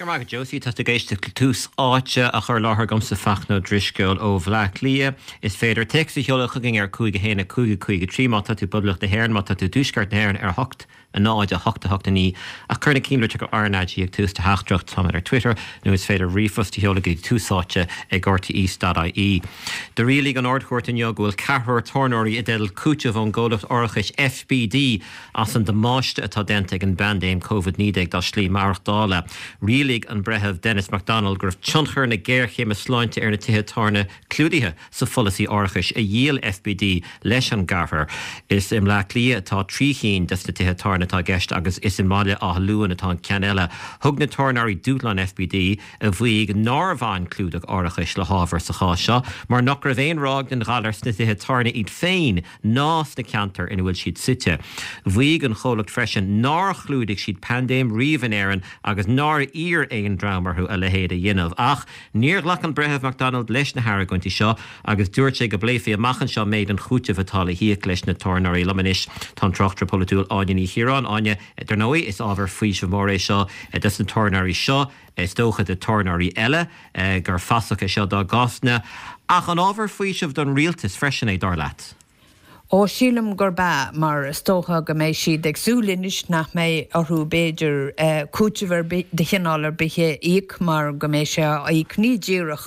Go raibh maith agat Josie, tá tú ag éisteacht le Tús Áite á chur i láthair agamsa Fachtna Ó Drisceoil ó Bhleá Cliath. Is féidir téacs a sheoladh chugainn ar 5 1 5 5 3 má tá tú i bPoblacht na hÉireann, má tá tú i dTuaisceart na hÉireann ar 8 0 8 8 9 ach cuir na cinnlitreacha RnaG ag tús do theachtaireacht. Táimid ar Twitter nó is féidir ríomhphost a sheoladh go dtí túsáite ag rte.ie. Do rialaigh an Ard-Chúirt inniu go bhfuil ceathrar tábhairneoirí i dteideal cúiteamh ón gcomhlacht árachais FBD as an damáiste atá déanta ag an bpaindéim Covid-19 dá slí maireachtála. Rialaigh an Breitheamh Denis McDonnell go raibh tionchar na géarchéime sláinte ar na tithe tábhairne clúdaithe sa pholasaí árachais a dhíol FBD leis an gceathrar. Is i mBleá Cliath atá 3 chinn des na tithe tábhairne atá i gceist agus is i mBaile Átha Luain atá an ceann eile. Thug na tábhairneoirí dúshlán FBD, a mhaígh nár bhain clúdach árachais le hábhar sa chás seo mar nach raibh aon ráig den ghalar sna tithe tábhairne iad féin ná sna ceantair ina bhfuil siad suite. Mhaígh an chomhlacht freisin nár chlúdaigh siad paindéim riamh in Éirinn agus nár iarr aon dream orthu a leithéid a dhéanamh. Ach níor ghlac an Breitheamh McDonald leis na hargóintí seo agus dúirt sé go bpléifí amach anseo méid an chúitimh atá le híoc leis na tábhairneoirí. Liom anois tá an tráchtaire polaitiúil Áine Ní Chiaráin. Áine, dar ndóigh, is ábhar faoisimh mór é seo dos na tábhairneoirí seo. Is dócha do tábhairneoirí eile gur fasach é seo dá gcásanna. Ach an ábhar faoisimh don rialtas freisin é, dar leat? Ó, sílim gurb ea, mar is dócha go mbeidh siad ag súil anois nach mbeidh orthu, b'fhéidir, cúiteamh ar bith de chineál ar bith a íoc mar go mbeidh sé á íoc ní díreach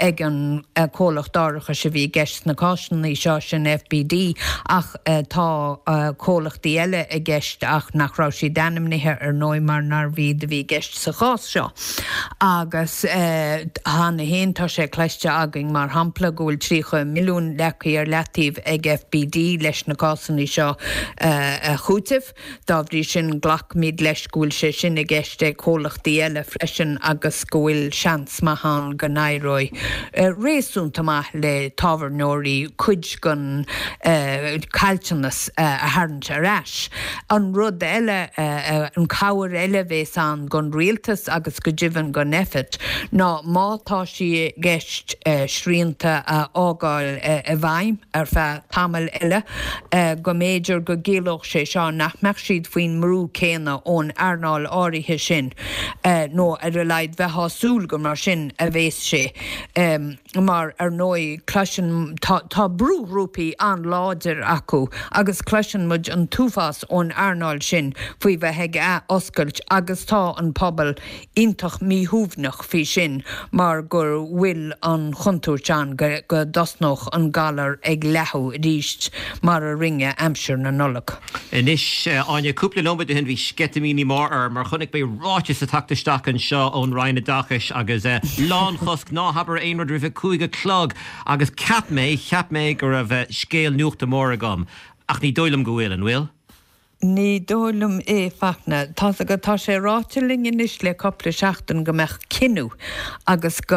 ag an comhlacht árachais a bhí i gceist sna cásanna seo, sin FBD, ach tá comhlachtaí eile i gceist ach nach raibh siad ainmnithe, ar ndóigh, mar nárbh iad a bhí i gceist. sa chás seo. Agus cheana féin tá sé cloiste againn, mar shampla, go bhfuil 30 milliún leagtha ar leataobh ag FBD leis na cásanna seo a chúiteamh. Dá bhrí sin, glacaimid leis go bhfuil sé sin i gceist ag comhlachtaí eile freisin agus go bhfuil seans maith ann go n-éireoidh réasúnta maith le tábhairneoirí cuid den chaillteanas a tharraingt ar ais. An rud eile, an cabhair eile a bhéas ann don rialtas agus go deimhin don Nphet ná má tá sé i gceist srianta a fhágáil i bhfeidhm ar feadh tamaill eile, go mb'fhéidir go gciallódh sé seo nach mbeadh siad faoin mbrú céanna ón earnáil áirithe sin, nó ar a laghad bheifeá ag súil gur mar sin a bhéas sé. mar ar ndóigh cloiseann, tá, tá brúghrúpaí an-láidir acu agus cloiseann muid an t-uafás ón earnáil sin faoi bheith ag ath-oscailt agus tá an pobal iontach míshuaimhneach faoi sin mar go bhfuil an chontúirt ann go, go dtosnódh an galar ag leathadh arís mar a rinne aimsir na Nollag. Anois, Áine, cúpla nóiméad ó shin bhí sceitimíní mór orm mar chonaic mé ráiteas ag teacht isteach anseo ón Roinn Oideachais agus lánchosc, ná habair aon rud roimh a 5 a chlog agus cheap mé, cheap mé go raibh scéal nuachta mór agam ach ní dóigh liom go bhfuil, an bhfuil? Ní dóigh liom é, Fachtna. Tá's agat, tá sé ráite linn anois le cupla seachtain go mbeadh cinneadh agus go,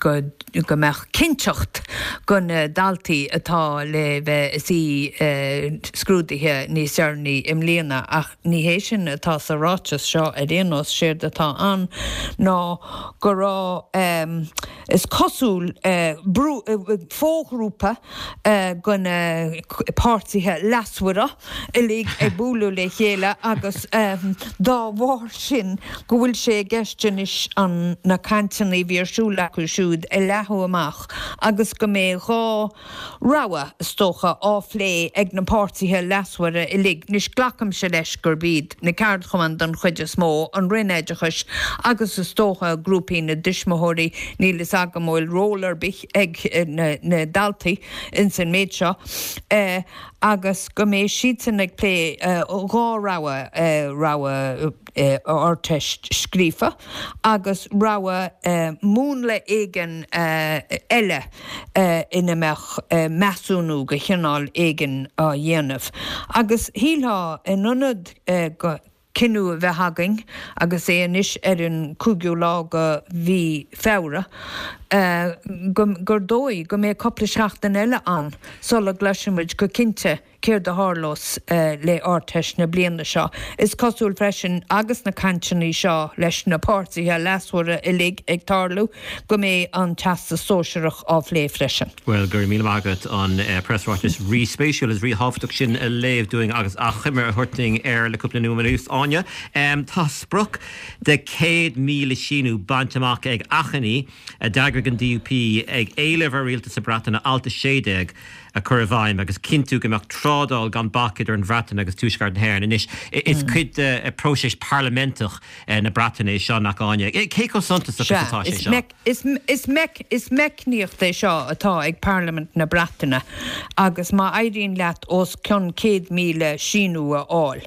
go, go mbeadh cinnteacht go na daltaí atá le bheith ag suí scrúduithe níos deireanaí i mbliana ach ní hé sin atá sa ráiteas seo ar aon nós. Séard atá ann ná go raibh, is cosúil, brú, foghrúpa de na páirtithe leasmhara uilig ag bualadh le chéile agus dá bharr sin go bhfuil sé i gceist anois an na cainteanna a bhí ar siúl acu siúd a leathadh amach agus go mbeidh 2 rogha, is dócha, á phlé ag na páirtithe leasmhara uilig. Anois glacaimse leis gurb iad na ceardchumainn don chuid is mó, an Roinn Oideachais agus is dócha grúpaí na dtuismitheoirí, níl fhios agam an bhfuil ról ar bith ag na daltaí ins an méid seo. agus go mbeidh siadsan ag plé 2 rogha, rogha Ardteist scríofa agus rogha múnla éigin eile ina mbeadh measúnú de chineál éigin á dhéanamh. Agus shílfeá, in ionad go. cinneadh a bheith againn, agus é anois ar an 5ú lá de mhí Feabhra, gur dóigh go mbeidh cupla seachtain eile ann sula gcloisfidh muid go cinnte. céard a tharlós le Ardteist na bliana seo. Is cosúil freisin, agus na cainteanna seo leis na páirtithe leasmhara uilig ag tarlú, go mbeidh an Teastas Sóisearach á phlé freisin. Bhuel, go raibh míle maith agat an preasráiteas rí-spéisiúil is rí-thábhachtach sin a léamh dúinn agus achoimre a thabhairt dúinn air le cúpla nóiméad anuas, Áine. Tá sprioc de 100,000 síniú bainte amach ag achainí a d'eagraigh an DUP ag éileamh ar Rialtas na Breataine Alt 16 a chur i bhfeidhm agus cinntiú go mbeadh trádáil gan bac idir an Bhreatain agus Tuaisceart na hÉireann. Anois, is cuid de phróiseas parlaiminteach na Breataine é seo, nach Áine? Cé chomh suntasach is atá sé seo? Is meicníocht é seo atá ag Parlaimint na Breataine agus má éiríonn leat os cionn 100,000 síniú a fháil,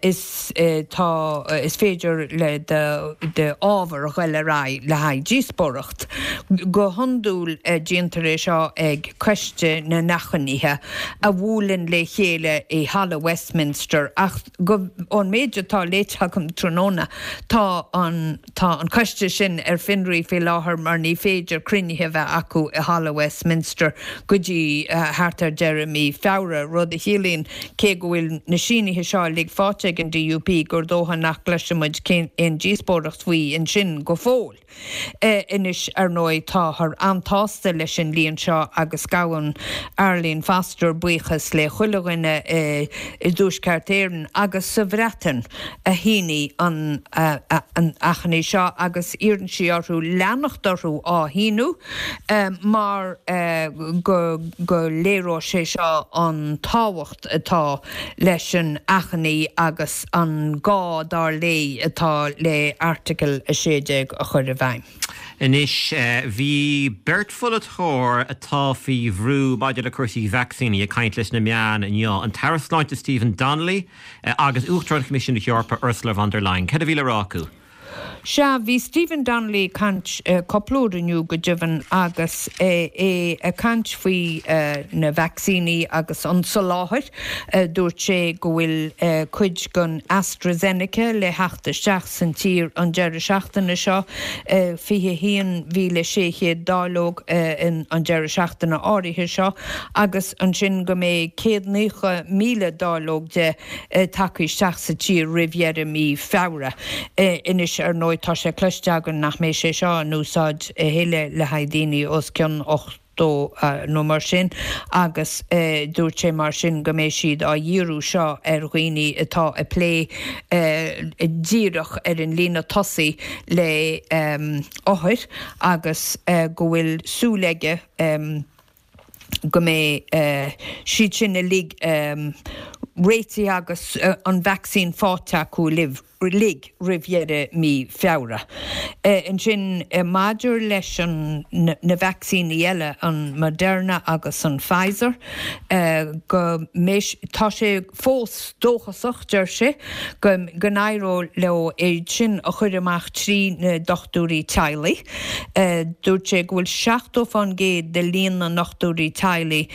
is tá, is féidir le d'ábhar a ghoil ar aghaidh le haghaidh díospóireacht. Go hiondúil déantar é seo ag Coiste na nAchainithe a bhuaileann le chéile i Halla Westminster ach go, ón méid atá léite agam tráthnóna, tá an, tá an coiste sin ar fionraí faoi láthair mar ní féidir cruinnithe a bheith acu i Halla Westminster go dtí thart ar deireadh mí Feabhra, rud a chiallaíonn, cé go bhfuil na sínithe seo uilig faighte ag an DUP, gur dócha nach gcloisfidh muid aon díospóireacht faoi ansin go fóill. Anois, ar ndóigh, táthar an-tsásta leis an líon seo agus gabhann Arlene Foster buíochas le chuile dhuine i dTuaisceart Éireann agus sa Bhreatain a shínigh an achainí seo agus iarrann sí orthu leanacht orthu á shíniú mar go léireoidh sé seo an tábhacht atá leis an achainí agus an gá, dar léi, atá le Airteagal 16 a chur i bhfeidhm. Anois, bhí beirt pholaiteoir atá faoi bhrú maidir le cúrsaí vacsaíní ag caint leis na meáin inniu, an tAire Sláinte Stephen Donnelly agus Uachtarán Choimisiún na hEorpa Ursula von der Leyen. Cad a bhí le rá acu? Sea, bhí Stephen Donnelly ag caint cúpla uair inniu go deimhin agus é ag caint faoi na vacsaíní agus an soláthar. Dúirt sé go bhfuil cuid den AstraZeneca le theacht isteach san tír an deireadh seachtaine seo, 21,600 dáileog an deireadh seachtaine áirithe seo agus ansin go mbeidh 190,000 dáileog de tagtha isteach sa tír roimh dheireadh mí Feabhra. Anois, ar ndóigh, tá sé cloiste againn nach mbeidh sé seo in úsáid a thuilleadh le haghaidh daoine os cionn 80 nó mar sin agus dúirt sé mar sin go mbeidh siad á dhíriú seo ar dhaoine atá ag plé díreach ar an líne tosaigh le othair agus go bhfuil súil aige go mbeidh siad sin uilig réitithe agus an vacsaín faighte acu uilig roimh dheireadh mí Feabhra. Ansin maidir leis an na vacsaíní eile, an Moderna agus an Pfizer, go mbeidh, tá sé fós dóchasach, deir sé, go n-éireoidh leo iad sin a chur amach trí na dochtúirí teaghlaigh. Dúirt sé go bhfuil 70% de líon na ndochtúirí teaghlaigh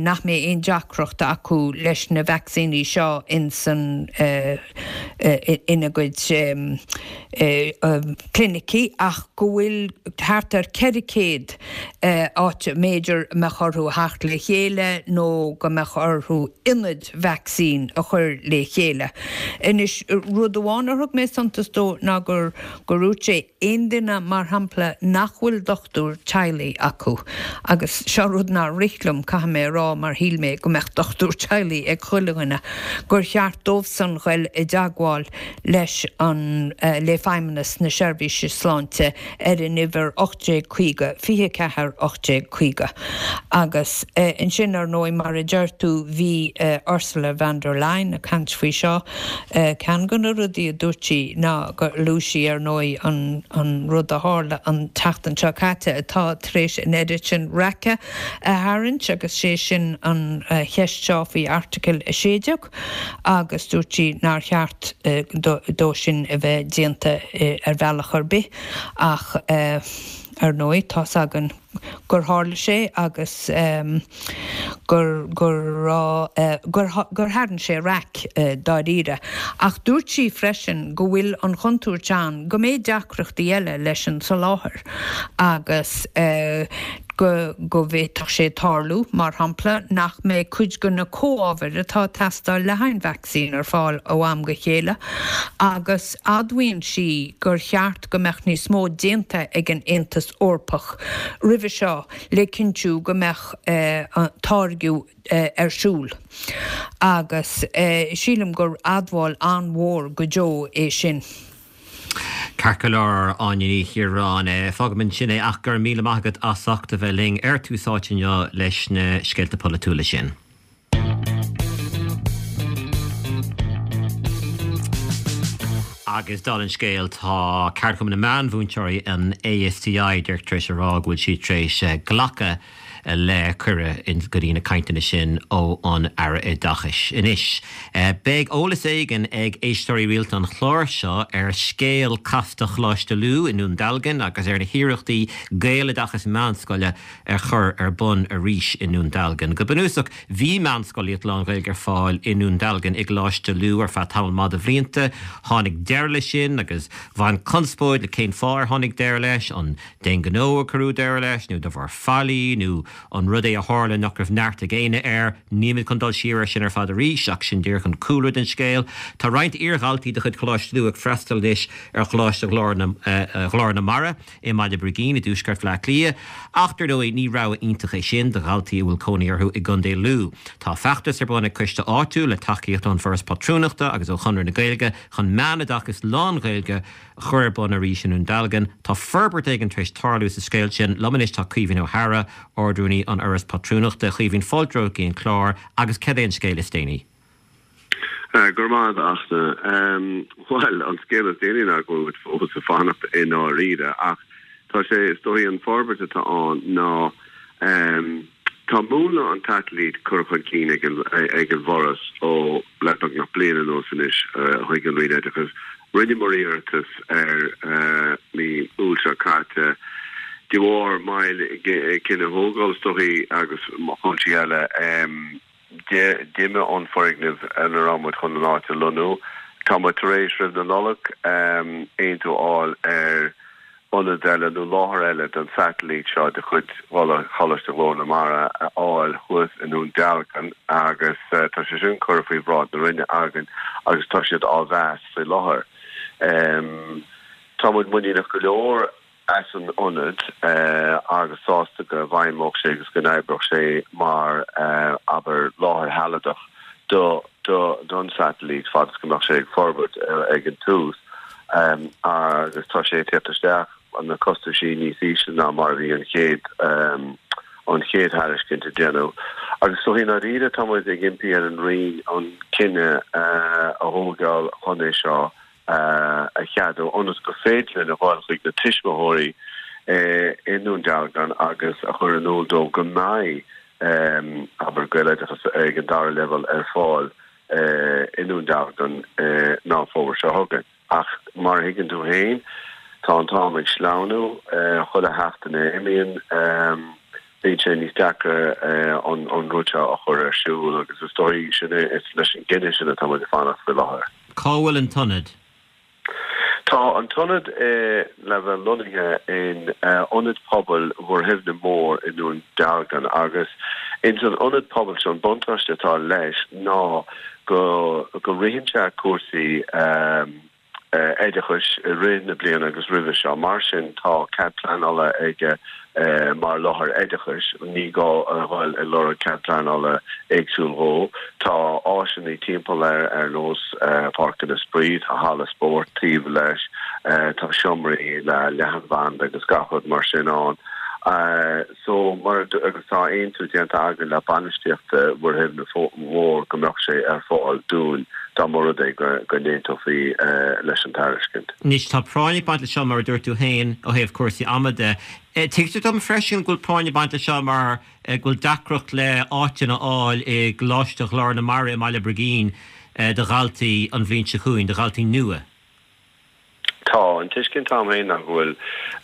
nach mbeidh aon deacracht acu leis na vacsaíní seo insan ina gcuid clinicí ach go bhfuil thart ar 400 áit a mb'fhéidir mbeadh orthu theacht le chéile nó go mbeadh orthu ionaid vacsaín a chur le chéile. Anois, rud amháin ar thug mé suntas dó ná gur gur dhúirt sé, aon duine, mar shampla, nach bhfuil dochtúir teaghlaigh acu, agus seo rud nár rith liom, caithfidh mé a rá, mar shíl mé go mbeadh dochtúir teaghlaigh ag chuile dhuine, gur cheart dóibhsan ghoil i dteagmháil leis an, le Feidhmeannas na Seirbhíse Sláinte ar an uimhir 1850 24 1850. Agus ansin, ar ndóigh, mar a deir tú, bhí Ursula von der Leyen ag caint faoi seo, Ceann de na rudaí a dúirt sí ná gur luaigh sí, ar ndóigh, an rud a tharla an tseachtain seo caite atá tar éis an oiread sin raice a tharraingt agus sé sin an cheist seo faoi Airteagal 16 agus dúirt sí nár cheart dó sin a bheith déanta ar bhealach ar bith ach, ar ndóigh, tá's againn. gur tharla sé agus gur, gur raibh, gur, gur tharraing sé raic dáiríre. Ach dúirt sí freisin go bhfuil an chontúirt ann go mbeidh deacrachtaí eile leis an soláthar agus. Go go bhféadfadh sé tarlú, mar shampla, nach mbeidh cuid de na comhábhair atá ag teastáil le haghaidh an vacsaín ar fáil ó am go chéile agus admhaíonn sí gur cheart go mbeadh níos mó déanta ag an Aontas Eorpach roimhe seo le cinntiú go mbeadh táirgeadh ar siúl. Agus sílim gur admháil an-mhór go deo é sin. Ceart go leor, Áine Ní Chiaráin. Fágfaidh muid ansin é ach go raibh míle maith agat as ucht a bheith linn ar Tús Áite inniu leis na scéalta polaitiúla sin. Agus dála an scéil, tá Ceardchumann na Meánmhúinteoirí, an ASTI, díreach tar éis a rá go bhfuil siad tar éis glacadh le cuireadh go dtí na cainteanna sin ó an Aire Oideachais. Anois, beidh eolas éigin ag éisteoirí rialta an chláir seo ar scéal casta Choláiste Lú i nDún Dealgan agus ar na hiarrachtaí Gaeloideachas meánscoile a chur ar bun arís i nDún Dealgan. Go bunúsach, bhí meánscolaíocht lán-Ghaeilge ar fáil i nDún Dealgan i gColáiste Lú ar feadh tamall maith de bhlianta. Tháinig deireadh leis sin agus bhain conspóid le cén fáth ar tháinig deireadh leis, an D'aon ghnó a cuireadh deireadh leis, nó de bharr faillí, nó an rud é a tharla nach raibh neart ag éinne air. Nílimid chun dul siar air sin ar fad arís, ach sin díreach an cúlra den scéal. Tá roinnt iardhaltaí de chuid Choláiste Lú ag freastal anois ar Choláiste Ghlór na Mara i mBaile Brigín i dtuaisceart Bhaile Átha Cliath, ach dar ndóigh ní rogha iontach é sin do dhaltaí a bhfuil cónaí orthu i gContae Lú. Tá feachtas ar bun ag coiste áitiúil le tacaíocht ón bhForas Pátrúnachta agus ó Chonradh na Gaeilge chun meánoideachas lán-Ghaeilge a chur ar bun arís i nDún Dealgan. Tá forbairt éigin tar éis tarlú sa scéal sin. Liom anois tá Caoimhín Ó hEadhra, Ard-Rúnaí an Fhorais Pátrúnachta. A Chaoimhín, fáilte romhat go dtí an clár agus cad é an scéal is déanaí? Go raibh maith agat, a Fhachtna. Bhuel, an scéal is déanaí ná go bhfuil muid fós ag fanacht i ndáiríre ach tá sé, is dóigh, an forbairt atá ann ná tá múnla an tsatailít curtha chun cinn ag an bhForas ó le beagnach bliain anuas anois chuig an Roinn Oideachais. Rinneamar iarratas air mí Iúil seo caite. De bharr moill i gcinneadh a thógáil, is dóichí, agus cúinsí eile, d'imigh an foirgneamh ina raibh muid chun an áit a lonnú. Tá muid tar éis, roimh na Nollag, aontú a fháil ar ionad eile nó láthair eile don satailít seo de chuid Choláiste Ghlór na Mara a fháil thuas i nDún Dealgan agus tá sé sin curtha faoi bhráid na Roinne againn agus tá siad á mheas faoi láthair. Tá muid muiníneach go leor as an ionad agus sásta go bhfeidhmeodh sé agus go n-oibreodh sé mar, abair, láthair shealadach do don satailít fad is go mbeadh sé ag forbairt ag an tús agus tá sé ag tíocht isteach na costaisí níos ísle ná mar a bhí an chéad an chéad thairiscint a déanadh. Agus so i ndáiríre tá muid ag impí ar an Roinn an cinneadh a thógáil chun é seo a cheadú ionas gur féidir linn a dhul chuig na tuismitheoirí i nDún Dealgan agus a chur in iúl dóibh go mbeidh abair, Gaeloideachas ag an dara leibhéal ar fáil i nDún Dealgan Meán Fómhair seo chugainn. Ach mar a thuigeann tú féin, tá an t-am ag sleamhnú, chuile sheachtain a imíonn, bíonn sé níos deacra an rud seo a chur ar siúl agus is dóigh sin é, is leis an gcinneadh sin atá muid ag fanacht faoi láthair. Cá bhfuil an t-ionad? Tá an t-ionad le bheith lonnaithe in Ionad Pobail Mhuirshuibhne Mór i nDún Dealgan agus ins an ionad pobail seo an buntáiste atá leis ná go go ritheann sé cúrsaí oideachais i rith na bliana agus roimhe seo. Mar sin tá cead pleanála aige mar láthair oideachais, ní gá a dhul ag lorg cead pleanála éagsúil dhó. Tá áiseanna timpeall air ar nós páirceanna spraoi, tá halla spóirt taobh leis, tá seomraí le leathanbhanda agus gach rud mar sin ann. So mar agus tá aontú déanta againn le bainistíocht Mhuirshuibhne Mhór go mbeadh sé ar fáil dúinn dá mba rud é go n-aontófaí leis an tairiscint. Anois, tá práinn ag baint leis seo, mar a dúirt tú féin, ó thaobh cúrsaí ama de. Tuigtear dom freisin go bhfuil práinn ag baint leis seo mar go bhfuil deacracht le áiteanna a fháil i gColáiste Ghlór na Mara i mBaile Brigín do dhaltaí an bhliain seo chugainn, do dhaltaí nua. Tá. An tuiscint a'm féin ná go bhfuil,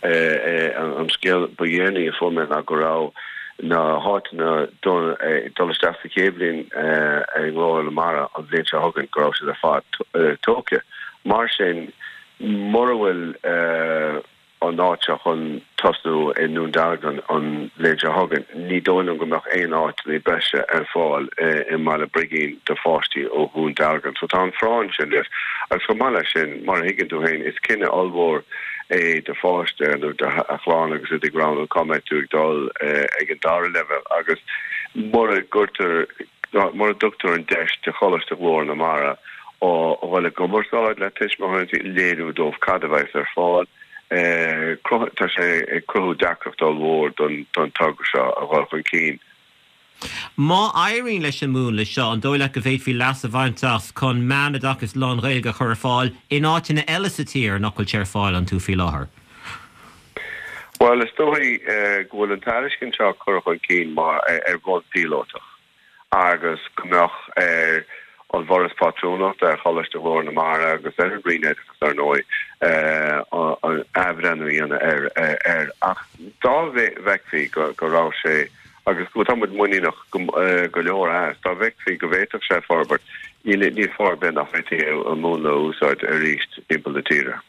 an scéal ba dhéanaí a fuair mé ná go raibh na háiteanna dul isteach sa chéad bhliain i nGlór na Mara an bhliain seo chugainn, go raibh siad ar fad tógtha. Mar sin, mura bhfuil. an áit seo chun tosnú i nDún Dealgan an bhliain seo chugainn, ní dóigh liom go mbeadh aon áiteanna breise ar fáil i mBaile Brigín do pháistí ó Dhún Dealgan. So tá an phráinn sin leis. Agus chomh maith leis sin, mar a thuigeann tú féin, is cinneadh ollmhór é do pháiste nó do chlann agus iad ag roghnú cá mbeidh tú ag dul ag an dara leibhéal agus mura gcuirtear, mura dtugtar an deis do Choláiste Ghlór na Mara a dhul i gcumarsáid le tuismitheoirí, léiriú dóibh cad a bheas ar fáil. Tá sé ag cruthú deacracht ollmhór don togra seo a dhul chun cinn. Má éiríonn leis an múnla seo, an dóigh leat go bhféadfaí leas a bhaint as chun meánoideachas lán-Ghaeilge a chur ar fáil in áiteanna eile sa tír nach bhfuil sé ar fáil iontu faoi láthair? Bhuel, is dóigh go bhfuil an tairiscint seo curtha chun cinn mar ar bhonn píolótach. agus go mbeadh ar an bhForas Pátrúnachta, ar Choláiste Ghlór na Mara agus ar an Roinn Oideachais, ar ndóigh, athbhreithniú a dhéanamh air. Ach dá bhfeicfí go raibh sé, agus tá muid muiníneach go leor as, dá bhfeicfí go bhféadfadh sé forbairt, níl fáth ar bith nach bhféadfaí an múnla a úsáid arís timpeall na tíre.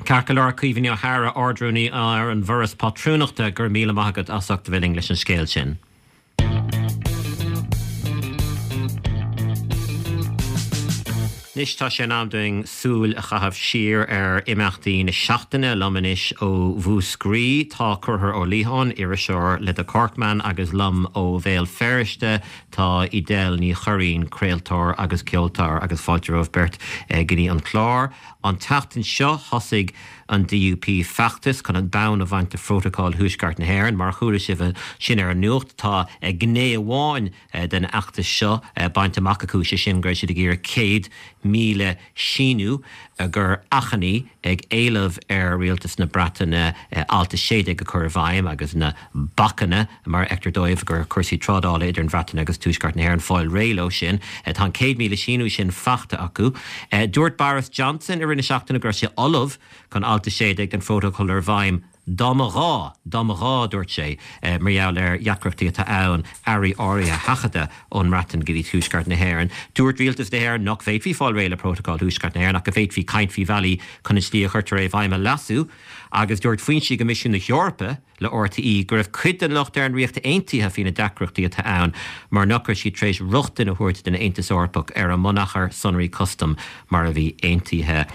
Ceart go leor, Caoimhín Ó hEadhra, Ard-Rúnaí ar an bhForas Pátrúnachta, go raibh míle maith agat as ucht a bheith linn leis an scéal sin. Anois tá sé in am dúinn súil a chaitheamh siar ar imeachtaí na seachtaine. Liom anois ó Mhúscraí tá Conchúr Ó Liatháin, iriseoir le The Corkman agus liom ó Bhéal Feirste tá Edel Ní Churraoin, craoltóir agus ceoltóir agus fáilte romhaibh beirt go dtí an clár. An tseachtain seo, thosaigh an DUP feachtas chun an bonn a bhaint de Phrótacal Thuaisceart na hÉireann. Mar a chuala sibh ansin ar an nuacht, tá gné amháin den fheachtas seo bainte amach acu, sé sin go raibh siad ag iarraidh 100,000 síniú gur achainí ag éileamh ar Rialtas na Breataine Alt 16 a chur i bhfeidhm agus na bacanna mar a fheictear dóibh gur cúrsaí trádála idir an Bhreatain agus Tuaisceart na hÉireann fáil réidh leo sin. Tá an 100,000 síniú sin faighte acu. Dúirt Boris Johnson i rith na seachtaine go raibh sé ullamh chun Alt 16 den Phrótacal a chur i bhfeidhm dá mba ghá, dá mba ghá, dúirt sé, mar gheall ar dheacrachtaí atá ann earraí áirithe a sheachadadh ón mBreatain go dtí Tuaisceart na hÉireann. Dúirt Rialtas na hÉireann nach bhféadfaí fáil réidh le Prótacal Thuaisceart na Héireann ach go bhféadfaí caint faoi bhealaí chun an tslí a chuirtear é i bhfeidhm a leasú agus dúirt foinsí i gCoimisiún na hEorpa le RTÉ go raibh cuid den locht ar an Ríocht Aontaithe faoi na deacrachtaí atá ann mar nach raibh siad tar éis rochtain a thabhairt don Aontas Eorpach ar a mbunachar sonraí custaim mar a bhí aontaithe.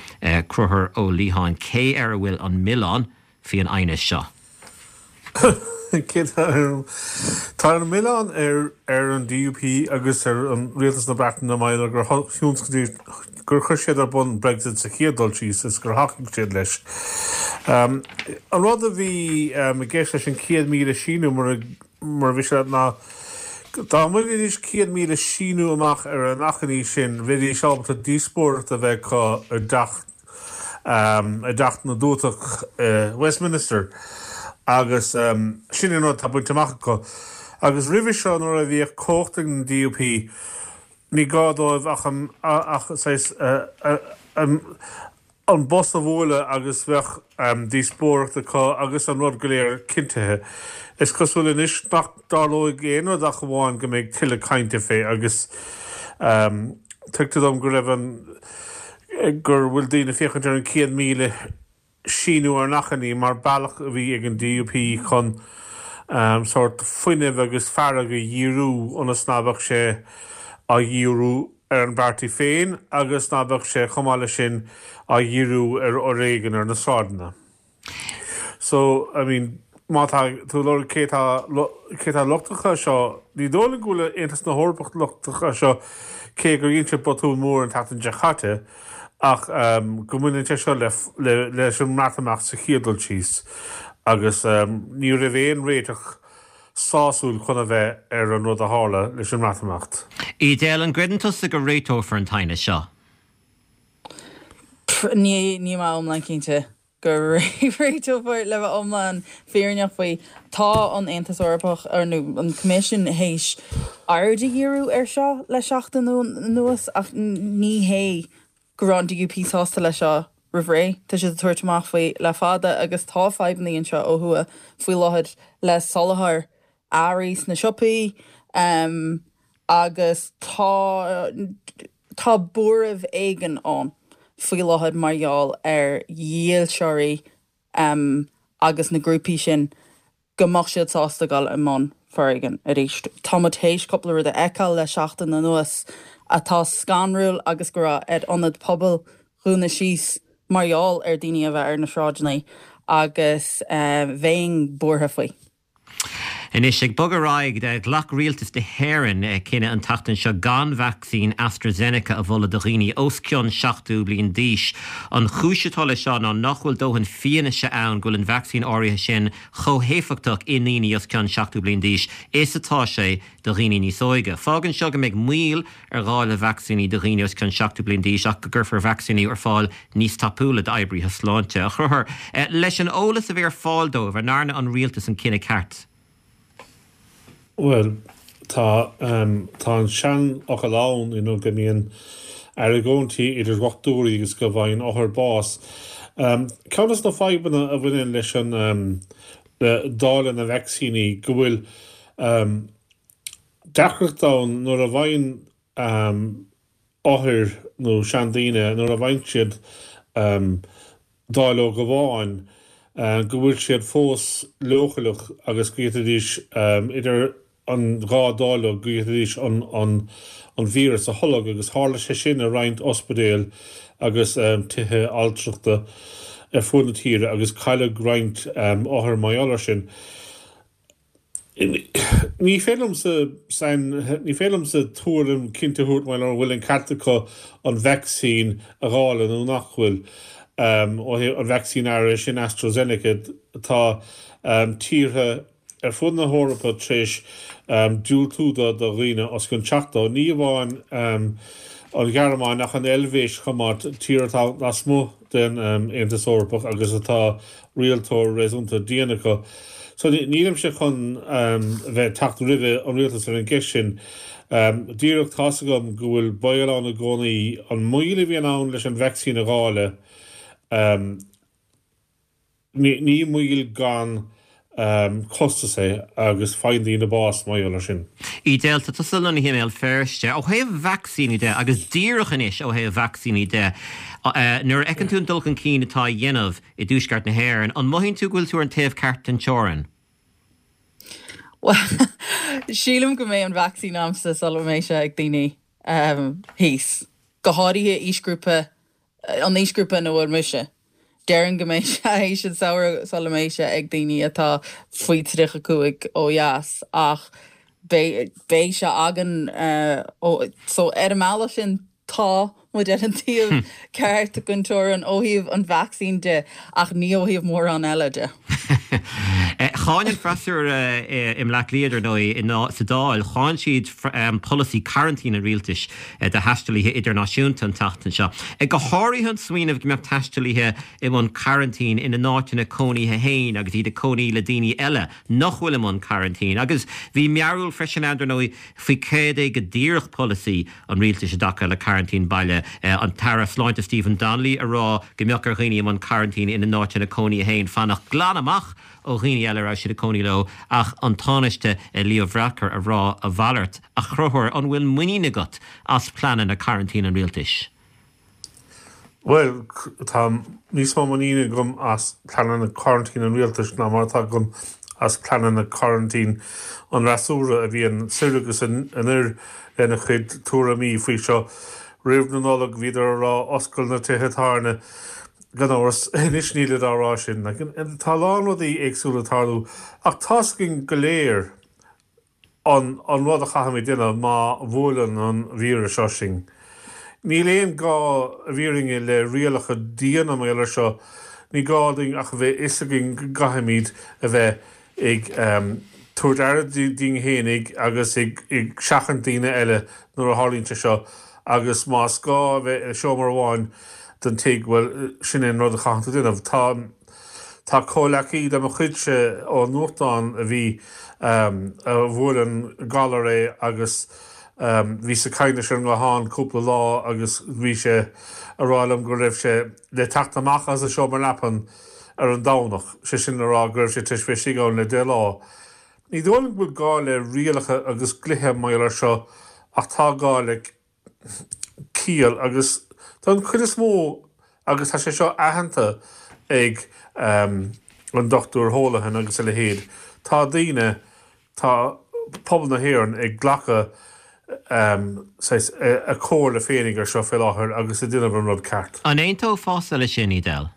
Conchúr Ó Liatháin, cé air a bhfuil an milleán faoi an aighneas seo? Cé tá ar Tá an milleán ar ar an DUP agus ar an Rialtas na Breataine mar gheall gur thionscnaigh gur chuir siad ar bun Brexit sa chéad dul síos is gur thacaigh siad leis. An rud a bhí i gceist leis an 100,000 síniú mar mar a bhí sé ná dá mbainfidís 100,000 síniú amach ar an achainí sin bheidís ábalta díospóireacht a bheith acu i dteach i dTeach na dTuatach i Westminster agus sin an rud atá bainte amach acu. Agus roimhe seo nuair a bhíodh cumhacht ag an DUP ní gá dóibh ach an ach saghas an bos a bhualadh agus bheadh díospóireacht acu agus an rud go léir cinntithe. Is cosúil anois nach dtarlóidh aon rud ach amháin go mbeidh tuilleadh cainte fé agus tuigtear dom go raibh an gur bhfuil daoine ag féachaint ar an 100,000 síniú ar an achainí mar bealach a bhí ag an DUP chun sórt fuinneamh agus fearg a dhíriú ionas ná beadh sé á dhíriú ar an bpáirtí féin agus ná beadh sé chomh maith leis sin á dhíriú ar fhoréigean ar na sráideanna. So, I mean, má tá tú ag lorg cé tá, cé tá lochtach as seo, ní dóigh liom go bhfuil Aontas na hEorpach lochtach as seo, cé gur dhein siad botún mór an tseachtain seo chaite, ach go mbaineann sé seo le, le, leis an mBreatimeacht sa chéad dul síos, agus ní raibh aon réiteach sásúil chun a bheith ar an rud a tharla leis an mBreatimeacht. Edel, an gcreideann tusa go réiteofar an t-aighneas seo? Ní, níl mé iomlán cinnte go réiteofar, le bheith iomlán fírinneach faoi. Tá an Aontas Eorpach, nó an Coimisiún, théis aird a dhíriú air seo le seachtain anuas ach ní hé go raibh an DUP sásta leis seo roimh ré. Tá siad ag tabhairt amach faoi le fada agus tá fadhbanna anseo ó thuaidh faoi láthair le soláthar earraí sna siopaí agus tá tá buaireamh éigin ann faoi láthair mar gheall ar dhílseoirí. agus na grúpaí sin go mbeadh siad sásta dul i mbun foréigin arís. Tá muid théis cúpla rud a fheiceáil le seachtain anuas atá scanrúil agus go raibh ar ionad pobail dhúnadh síos mar gheall ar daoine a bheith ar na sráideanna agus bheinn buartha faoi. Anois, ag bogadh ar aghaidh, ghlac Rialtas na hÉireann cinneadh an tseachtain seo gan vacsaín AstraZeneca a mholadh do dhaoine os cionn 70 bliain d'aois. An chúis atá leis seo ná nach bhfuil dóthain fianaise ann go bhfuil an vacsaín áirithe sin chomh héifeachtach i ndaoine os cionn 70 bliain d'aois is atá sé do dhaoine níos óige. Fágann seo go mbeidh moill ar dháileadh vacsaíní do dhaoine os cionn 70 bliain d'aois ach go gcuirfear vacsaíní ar fáil níos tapúla d'oibrithe sláinte. A Chonchúir, leis an eolas a bhí ar fáil dóibh, an ndearna an rialtas an cinneadh ceart? Bhuel, tá, tá an seanfhocal ann, you know, go mbíonn argóintí idir dhochtúirí agus go bhfaigheann othair bás. Ceann de na fadhbanna a bhaineann leis an, le dáileadh na vacsaíní, go bhfuil deacracht ann nuair a bhfaigheann othair nó seandaoine, nuair a bhfaigheann siad dáileog amháin, go bhfuil siad fós leochaileach agus go bhféadfaidís, idir an dhá dáileog, go bhféadfaidís an víreas a tholg agus tharla sé sin i roinnt ospidéal agus tithe altrachta ar fud na tíre agus cailleadh roinnt othar mar gheall air sin. Ní féidir liomsa sain, ní féidir liomsa tuairim cinnte a thabhairt maidir le an bhfuil an ceart acu an vacsaín a dháileadh nó nach bhfuil. Ó thaobh an vacsaín áirithe sin AstraZeneca, tá tíortha ar fud na hEorpa tar éis diúltú do dhaoine os cionn 70, ní amháin an Ghearmáin ach an Eilvéis chomh maith, tír atá lasmuigh den Aontas Eorpach agus atá rialtóir réasúnta dian acu. So nílimse chun bheith ag teacht roimhe an rialtas ar an gceist sin. Díreach tá's agam go bhfuil baol ann i gcónaí. An moill a bhíonn ann leis an vacsaín a dháileadh, ní moill gan costas é agus faigheann daoine bás mar gheall air sin. Edel, tá tusa lonnaithe i mBéal Feirste. Ó thaobh vacsaíní de, agus díreach anois ó thaobh vacsaíní de, nuair a fheiceann tú an dul chun cinn atá á dhéanamh i dtuaisceart na hÉireann, an mothaíonn tú go bhfuil tú ar an taobh ceart den teorainn? Bhuel, sílim go mbeidh an vacsaín a'msa sula mbeidh sé ag daoine thíos. Go háirithe aoisghrúpa, an aoisghrúpa ina bhfuil mise. Déarfainn go mbeidh sé théis an samhradh sula mbeidh sé ag daoine atá faoi 35 ó dheas ach beidh beidh sé againn ó so ar an mbealach sin tá muid ar an taobh ceart den teorainn ó thaobh an vacsaín de ach ní ó thaobh mórán eile de. Cháin an freasúra i mBleá Cliath, dar ndóigh, sa Dáil, cháin siad polasaí coraintín an rialtais do thaistealaithe idirnáisiúnta an tseachtain seo. Go háirithe an smaoineamh go mbeadh taistealaithe i mbun coraintín ina n-áiteanna cónaithe féin agus iad ag cónaí le daoine eile nach bhfuil i mbun coraintín. Agus bhí mearbhall freisin ann, dar ndóigh, faoi céard é go díreach polasaí an rialtais i dtaca le coraintín baile. An tAire Sláinte Stephen Donnelly ag rá go mbeadh ar dhaoine i mbun coraintín ina n-áiteanna cónaithe féin fanacht glan amach ó dhaoine eile a raibh siad ag cónaí leo ach an Tánaiste Leo Varadkar a rá a mhalairt. A Chonchúir, an bhfuil muinín agat as pleananna coraintín an rialtais? Bhuel, tá níos mó muiníne agam as pleananna coraintín an rialtais ná mar atá agam as pleananna coraintín an fhreasúra a bhíonn soir agus anoir lena chuid tuairimí faoi seo. Roimh na Nollag bhíodar a rá oscail na tithe tábhairne. Gan amhras, anois nílid á rá sin. Tá a lán rudaí éagsúla ag tarlú ach tá's againn go léir an an rud a chaithfimid déanamh má bhuaileann an víreas seo sinn. Níl aon gá i bhfírinne le rialacha diana mar gheall air seo, ní gá dúinn ach a bheith fhios againn go gcaithfimid a bheith ag tabhairt aire dínn fhéinig agus ag seachaint daoine eile nuair a tharlaíonn sé seo agus más gá a bheith i seomra amháin den tigh, bhuel, sin é an rud a chaitheann tú déanamh. Tá. Tá comhleacaí de mo chuidse ón nuachtán a bhí, a bhuail an galar é agus bhíos ag caint leis ar an nguthán cúpla lá agus bhí sé a rá liom go raibh sé le teacht amach as a seomra leapan ar an Domhnach, sé sin le rá go raibh sé tar éis bheith istigh ann le deich lá. Ní dóigh liom go bhfuil gá le rialacha agus dlíthe mar gheall air seo ach tá gá le ciall agus don chuid is mó agus tá sé seo aitheanta ag. an Dr Holohan agus a leithéid, tá daoine, tá pobal na hÉireann ag glacadh saghas a comhairle féinig ar seo fé láthair agus ag déanamh an rud ceart. An aontófása leis sin, Edel?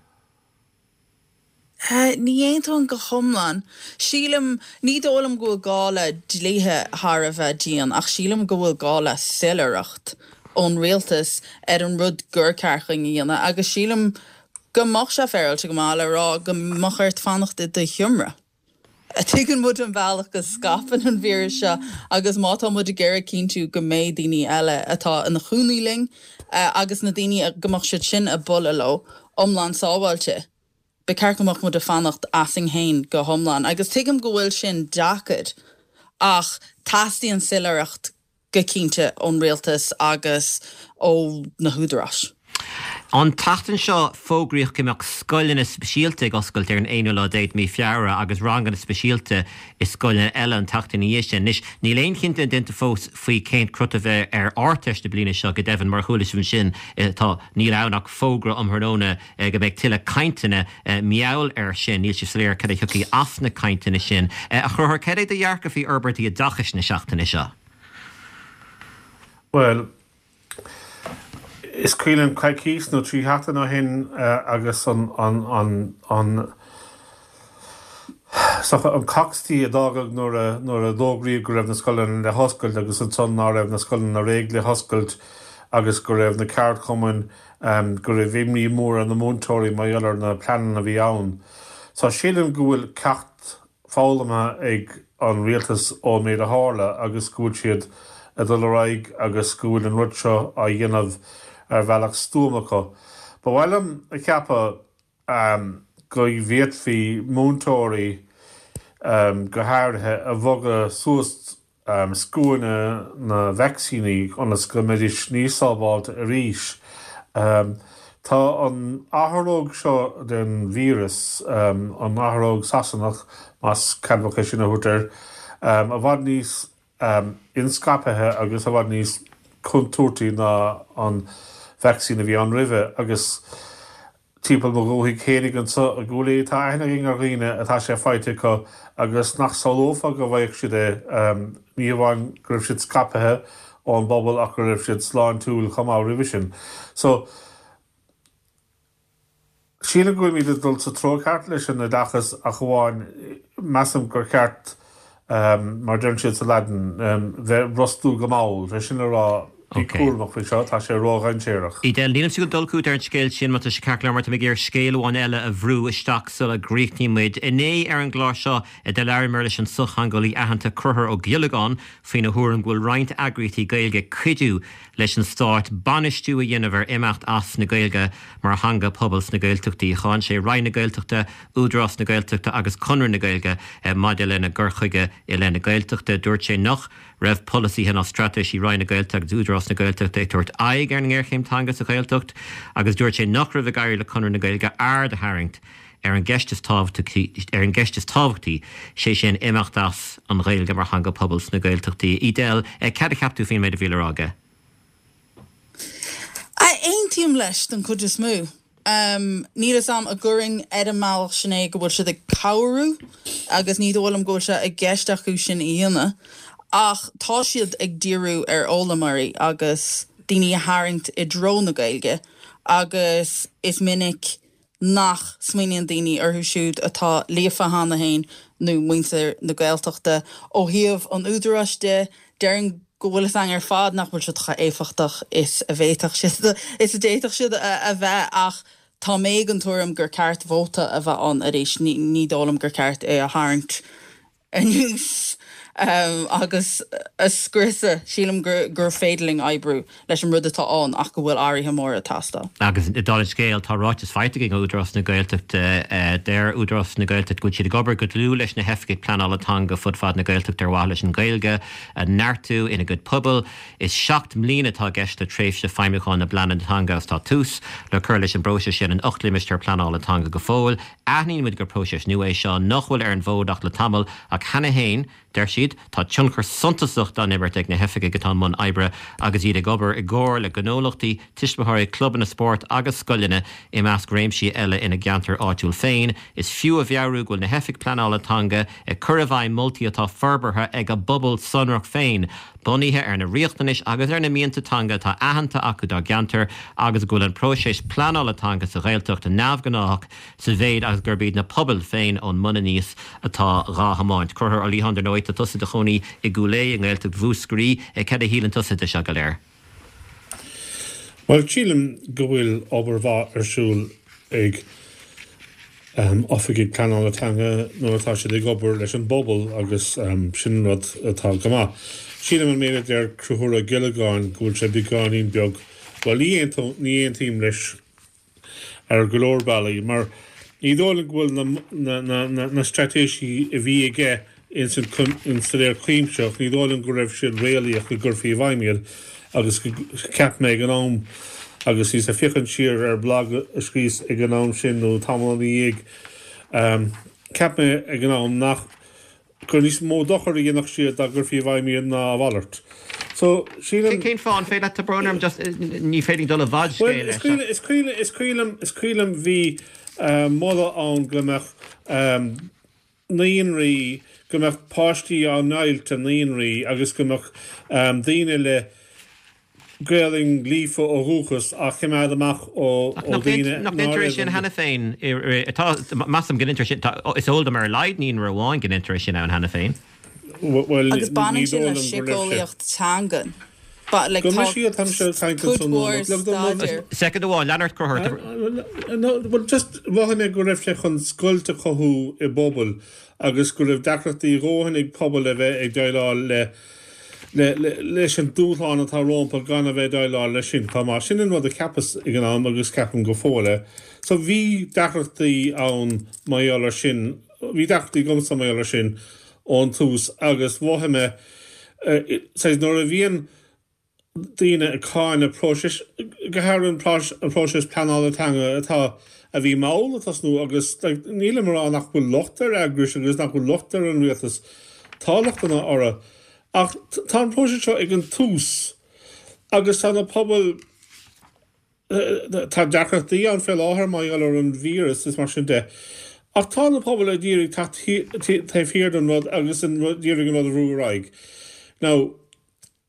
Ní aontóinn go hiomlán. Sílim, ní dóigh liom go bhfuil gá le dlíthe thar a bheith dian ach sílim go bhfuil gá le soiléireacht ón rialtas ar an rud gur ceart dúinn a dhéanamh agus sílim go mbeadh sé féaráilte go maith le rá go mbeadh ort fanacht i do sheomra. Tuigeann muid an bealach go scaipeann an víreas seo agus má tá muid ag iarraidh cinntiú go mbeidh daoine eile atá ina chónaí linn agus na daoine go mbeadh siad sin ag bualadh leo iomlán sábháilte, ba cheart go mbeadh muid ag fanacht asainn féin go hiomlán. Agus tuigim go bhfuil sin deacair ach teastaíonn soiléireacht go cinnte ón rialtas agus ó na húdaráis. An tseachtain seo fógraíodh go mbeadh scoileanna speisialta ag oscailt ar an aonú lá déag de mhí Feabhra agus ranganna speisialta i scoileanna eile an tseachtain ina dhiaidh sin. Anois níl aon chinneadh déanta fós faoi cén crot a bheidh ar Ardteist na bliana seo, go deimhin mar a chuala sibh ansin tá níl ann ach fógra um thráthnóna go mbeidh tuilleadh cainteanna mar gheall air sin. Níl sé soiléir cad a thiocfaidh as na cainteanna sin. A Chonchúir, cad é do dhearcadh faoi fhorbairtí oideachais na seachtaine seo? Bhuel, is cuimhin liom coicís nó 3 sheachtain ó shin agus an, an, an, an, is dócha an cocstaí a d'fhágadh nuair a, nuair a d'fhógraíodh go raibh na scoileanna le hoscailt agus ansan ná raibh na scoileanna réidh le hoscailt agus go raibh na ceardchumainn, go raibh imní mór ar na múinteoirí mar gheall ar na pleananna a bhí ann. So sílim go bhfuil ceacht foghlamtha ag an rialtas ón méid a tharla agus go bhfuil siad ag dul ar aghaidh agus go bhfuil an rud seo á dhéanamh ar bhealach stuama acu. Ba mhaith liom a cheapadh go bhféadfaí múinteoirí go háirithe a bhogadh suas scuaine na vacsaíní ionas go mbeidís níos sábháilte arís. Tá an athróg seo den víreas, an athróg Sasanach, más ceadmhach é sin a thabhairt air, i bhfad níos inscaipthe agus i bhfad níos contúirtí ná an vacsaín a bhí ann roimhe agus Timpeall mo dhúthaigh fhéinig anso i gCúil Aodha tá aithne againn ar dhaoine atá sé faighte acu agus nach samhlófá go bhfaigheadh siad é, ní hamháin go raibh siad scaipthe ón bpobal ach go raibh siad sláintiúil chomh maith roimhe sin. So, sílim go bhfuilimid ag dul sa treo ceart leis an oideachas ach amháin measaim gur cheart, mar a deireann siad sa Laidin, bheith brostú go mall, sé sin le rá, Bí cúramach faoi seo, tá sé ródhainséarach. Edel, nílimse ag dul chugat ar an scéal sin, má tá sé ceart go leor, mar tá mé ag iarraidh scéal amháin eile a bhrú isteach sula gcríochnaíonn muid. Inné ar an gclár seo, do labhraíomar leis an sochtheangeolaí aitheanta Conchúr Ó Giollagáin faoina thuairim go bhfuil roinnt eagraíochtaí Gaeilge ag cuidiú leis an stát bainistiú a dhéanamh ar imeacht as na Gaeilge mar theanga pobail sna Gaeltachtaí. Cháin sé Roinn na Gaeltachta, Údarás na Gaeltachta agus Conradh na Gaeilge maidir lena gcur chuige i leith na Gaeltachta. Dúirt sé nach. raibh polasaithe ná straitéisí Roinn na Gaeltachta agus Údarás na Gaeltachta ag tabhairt aghaidh ar an ngéarchéim teanga sa Ghaeltacht agus dúirt sé nach raibh ag éirí le Conradh na Gaeilge aird a tharraingt ar an gceist is tábhachtaí, ar an gceist is tábhachtaí, sé sin imeacht as an Ghaeilge mar theanga pobail sna Gaeltachtaí. Edel, cad a cheap tú faoin méid a bhí le rá aige? Aontaím leis don chuid is mó. Níl fhios a'm an gcuirfinn ar an mbealach sin é go bhfuil siad ag cabhrú agus ní dóigh liom go bhfuil sé i gceist acu sin a dhéanamh ach tá siad ag díriú ar fhoghlaimeoirí agus daoine a tharraingt i dtreo na Gaeilge agus is minic nach smaoiníonn daoine orthu siúd atá líofa cheana féin nó muintir na Gaeltachta. Ó thaobh an Údaráis de, déarfainn go bhfuil fhios againn ar fad nach bhfuil siad chomh éifeachtach is a bhféadfadh siad, is a d'fhéadfadh siad a bheith ach tá mé den tuairim gur ceart vóta a bheith ann arís. Ní dóigh liom gur ceart é a tharraingt anuas agus a scriosadh. Sílim gur féidir linn oibriú leis an rud atá ann ach go bhfuil athruithe móra ag teastáil. Agus dála an scéil, tá ráiteas faighte againn ó Údarás na Gaeltachta. Deir Údarás na Gaeltachta go bhfuil siad ag obair go dlúth leis na hoifigigh pleanála teanga fud fad na Gaeltachta ar mhaithe leis an Ghaeilge a neartú ina gcuid pobal. Is 7 mbliana atá i gceist le tréimhse feidhmiúcháin na bpleananna teanga agus tá tús le cur leis an bpróiseas sin in 8 limistéar pleanála teanga go fóill. Aithníonn muid gur próiseas nua é seo nach bhfuil ar an bhfód ach le tamall ach cheana féin. Deir siad, Tá tionchar suntasach dá n-imirt ag na hoifigigh atá i mbun oibre agus iad ag obair i gcomhar le gnólachtaí, tuismitheoirí, clubanna spóirt agus scoileanna, i measc réimsí eile ina gceantar áitiúil féin. Is fiú a mheabhrú go bhfuil na hoifigigh pleanála teanga ag cur i bhfeidhm moltaí atá forbartha ag a bpobal sonrach féin, bunaithe ar na riachtanais agus ar na mianta teanga atá aitheanta acu dá gceantar agus go bhfuil an próiseas pleanála teanga sa Ghaeltacht neamhghnách sa mhéid agus gurb iad na pobail féin ón mbun aníos atá dhá thiomáint. Conchúr Ó Liatháin, dar ndóigh, tá tusa i do chónaí i gCúil Aodha i nGaeltacht Mhúscraí. Cad a shíleann tusa de seo go léir? Bhuel, sílim go bhfuil obair mhaith ar siúl ag oifigigh pleanála teanga nuair atá siad ag obair leis an bpobal agus sin rud atá go maith. Sílim an méid a deir Conchúr Ó Giollagáin go bhfuil sé beagáinín beag, bhuel ní aontaím leis ar go leor bealaí, mar ní dóigh liom go bhfuil na straitéisí a bhí aige ins an Staidéar Cuimsitheach, ní dóigh liom go raibh siad réalaíoch go gcuirfí i bhfeidhm iad agus cheap mé ag an am, agus bhíos ag féachaint siar ar bhlag a scríos ag an am sin nó tamall ina dhiaidh, cheap mé ag an am nach. gur níos mó dochair a dhéanfadh siad dá gcuirfí i bhfeidhm iad ná a mhalairt. So, sílim. Cén fáth? An féidir leat, tá brón orm, just, ní féidir linn dul i bhfad Bhuel, scéil is cuimhin, is cuimhin, is cuimhin liom, is cuimhin liom bhí moladh ann go mbeadh naíonraí, go mbeadh páistí á ndeighilt i naíonraí agus go mbeadh daoine le Gaelainn líofa ó dhúchas á choimeád amach ó dhaoine Nach ndeintear é sin cheana féin? Tá, measaim go ndeintear sin, is eol dom ar a laghad naíonra amháin go ndeintear é sin ann cheana féin. Bhuel, Agus baineann ní sin dóigh le liom go raibh sé. síceolaíocht teangan. Ba, like, Go tá mbeidh siad, tá mise ag caint cuid ansan mhór nóiméad. Look, no, no, staidéir. Soicind amháin, lean ort, Conchúr. No, well, just, mhothaigh mé go raibh sé chun scoilt a chothú i bpobail agus go raibh deacrachtaí a dhóthain ag pobail a bheith ag déileáil le leis an dúshlán atá rompu gan a bheith ag déileáil leis sin chomh maith. Sin an rud a cheapas ag an am agus ceapaim go fóill é. So bhí deacrachtaí ann mar gheall ar sin, bhí deacrachtaí agamsa mar gheall ar sin ón tús agus mhothaigh mé, saghas nuair a bhíonn daoine ag cáineadh próisis, go háirithe an próiseas pleanála teanga atá, a bhí mall ag tosnú agus like nílim ag rá nach bhfuil locht ar eagrais agus nach bhfuil locht ar an rialtas, tá lochtanna orthu ach tá an próiseas seo ag an tús agus tá na pobail, tá deacrachtaí ann fé láthair mar gheall ar an víreas is mar sin de ach tá na pobail ag iarraidh teacht taobh thiar den rud agus ag iarraidh an rud a bhrú ar aghaidh. Now.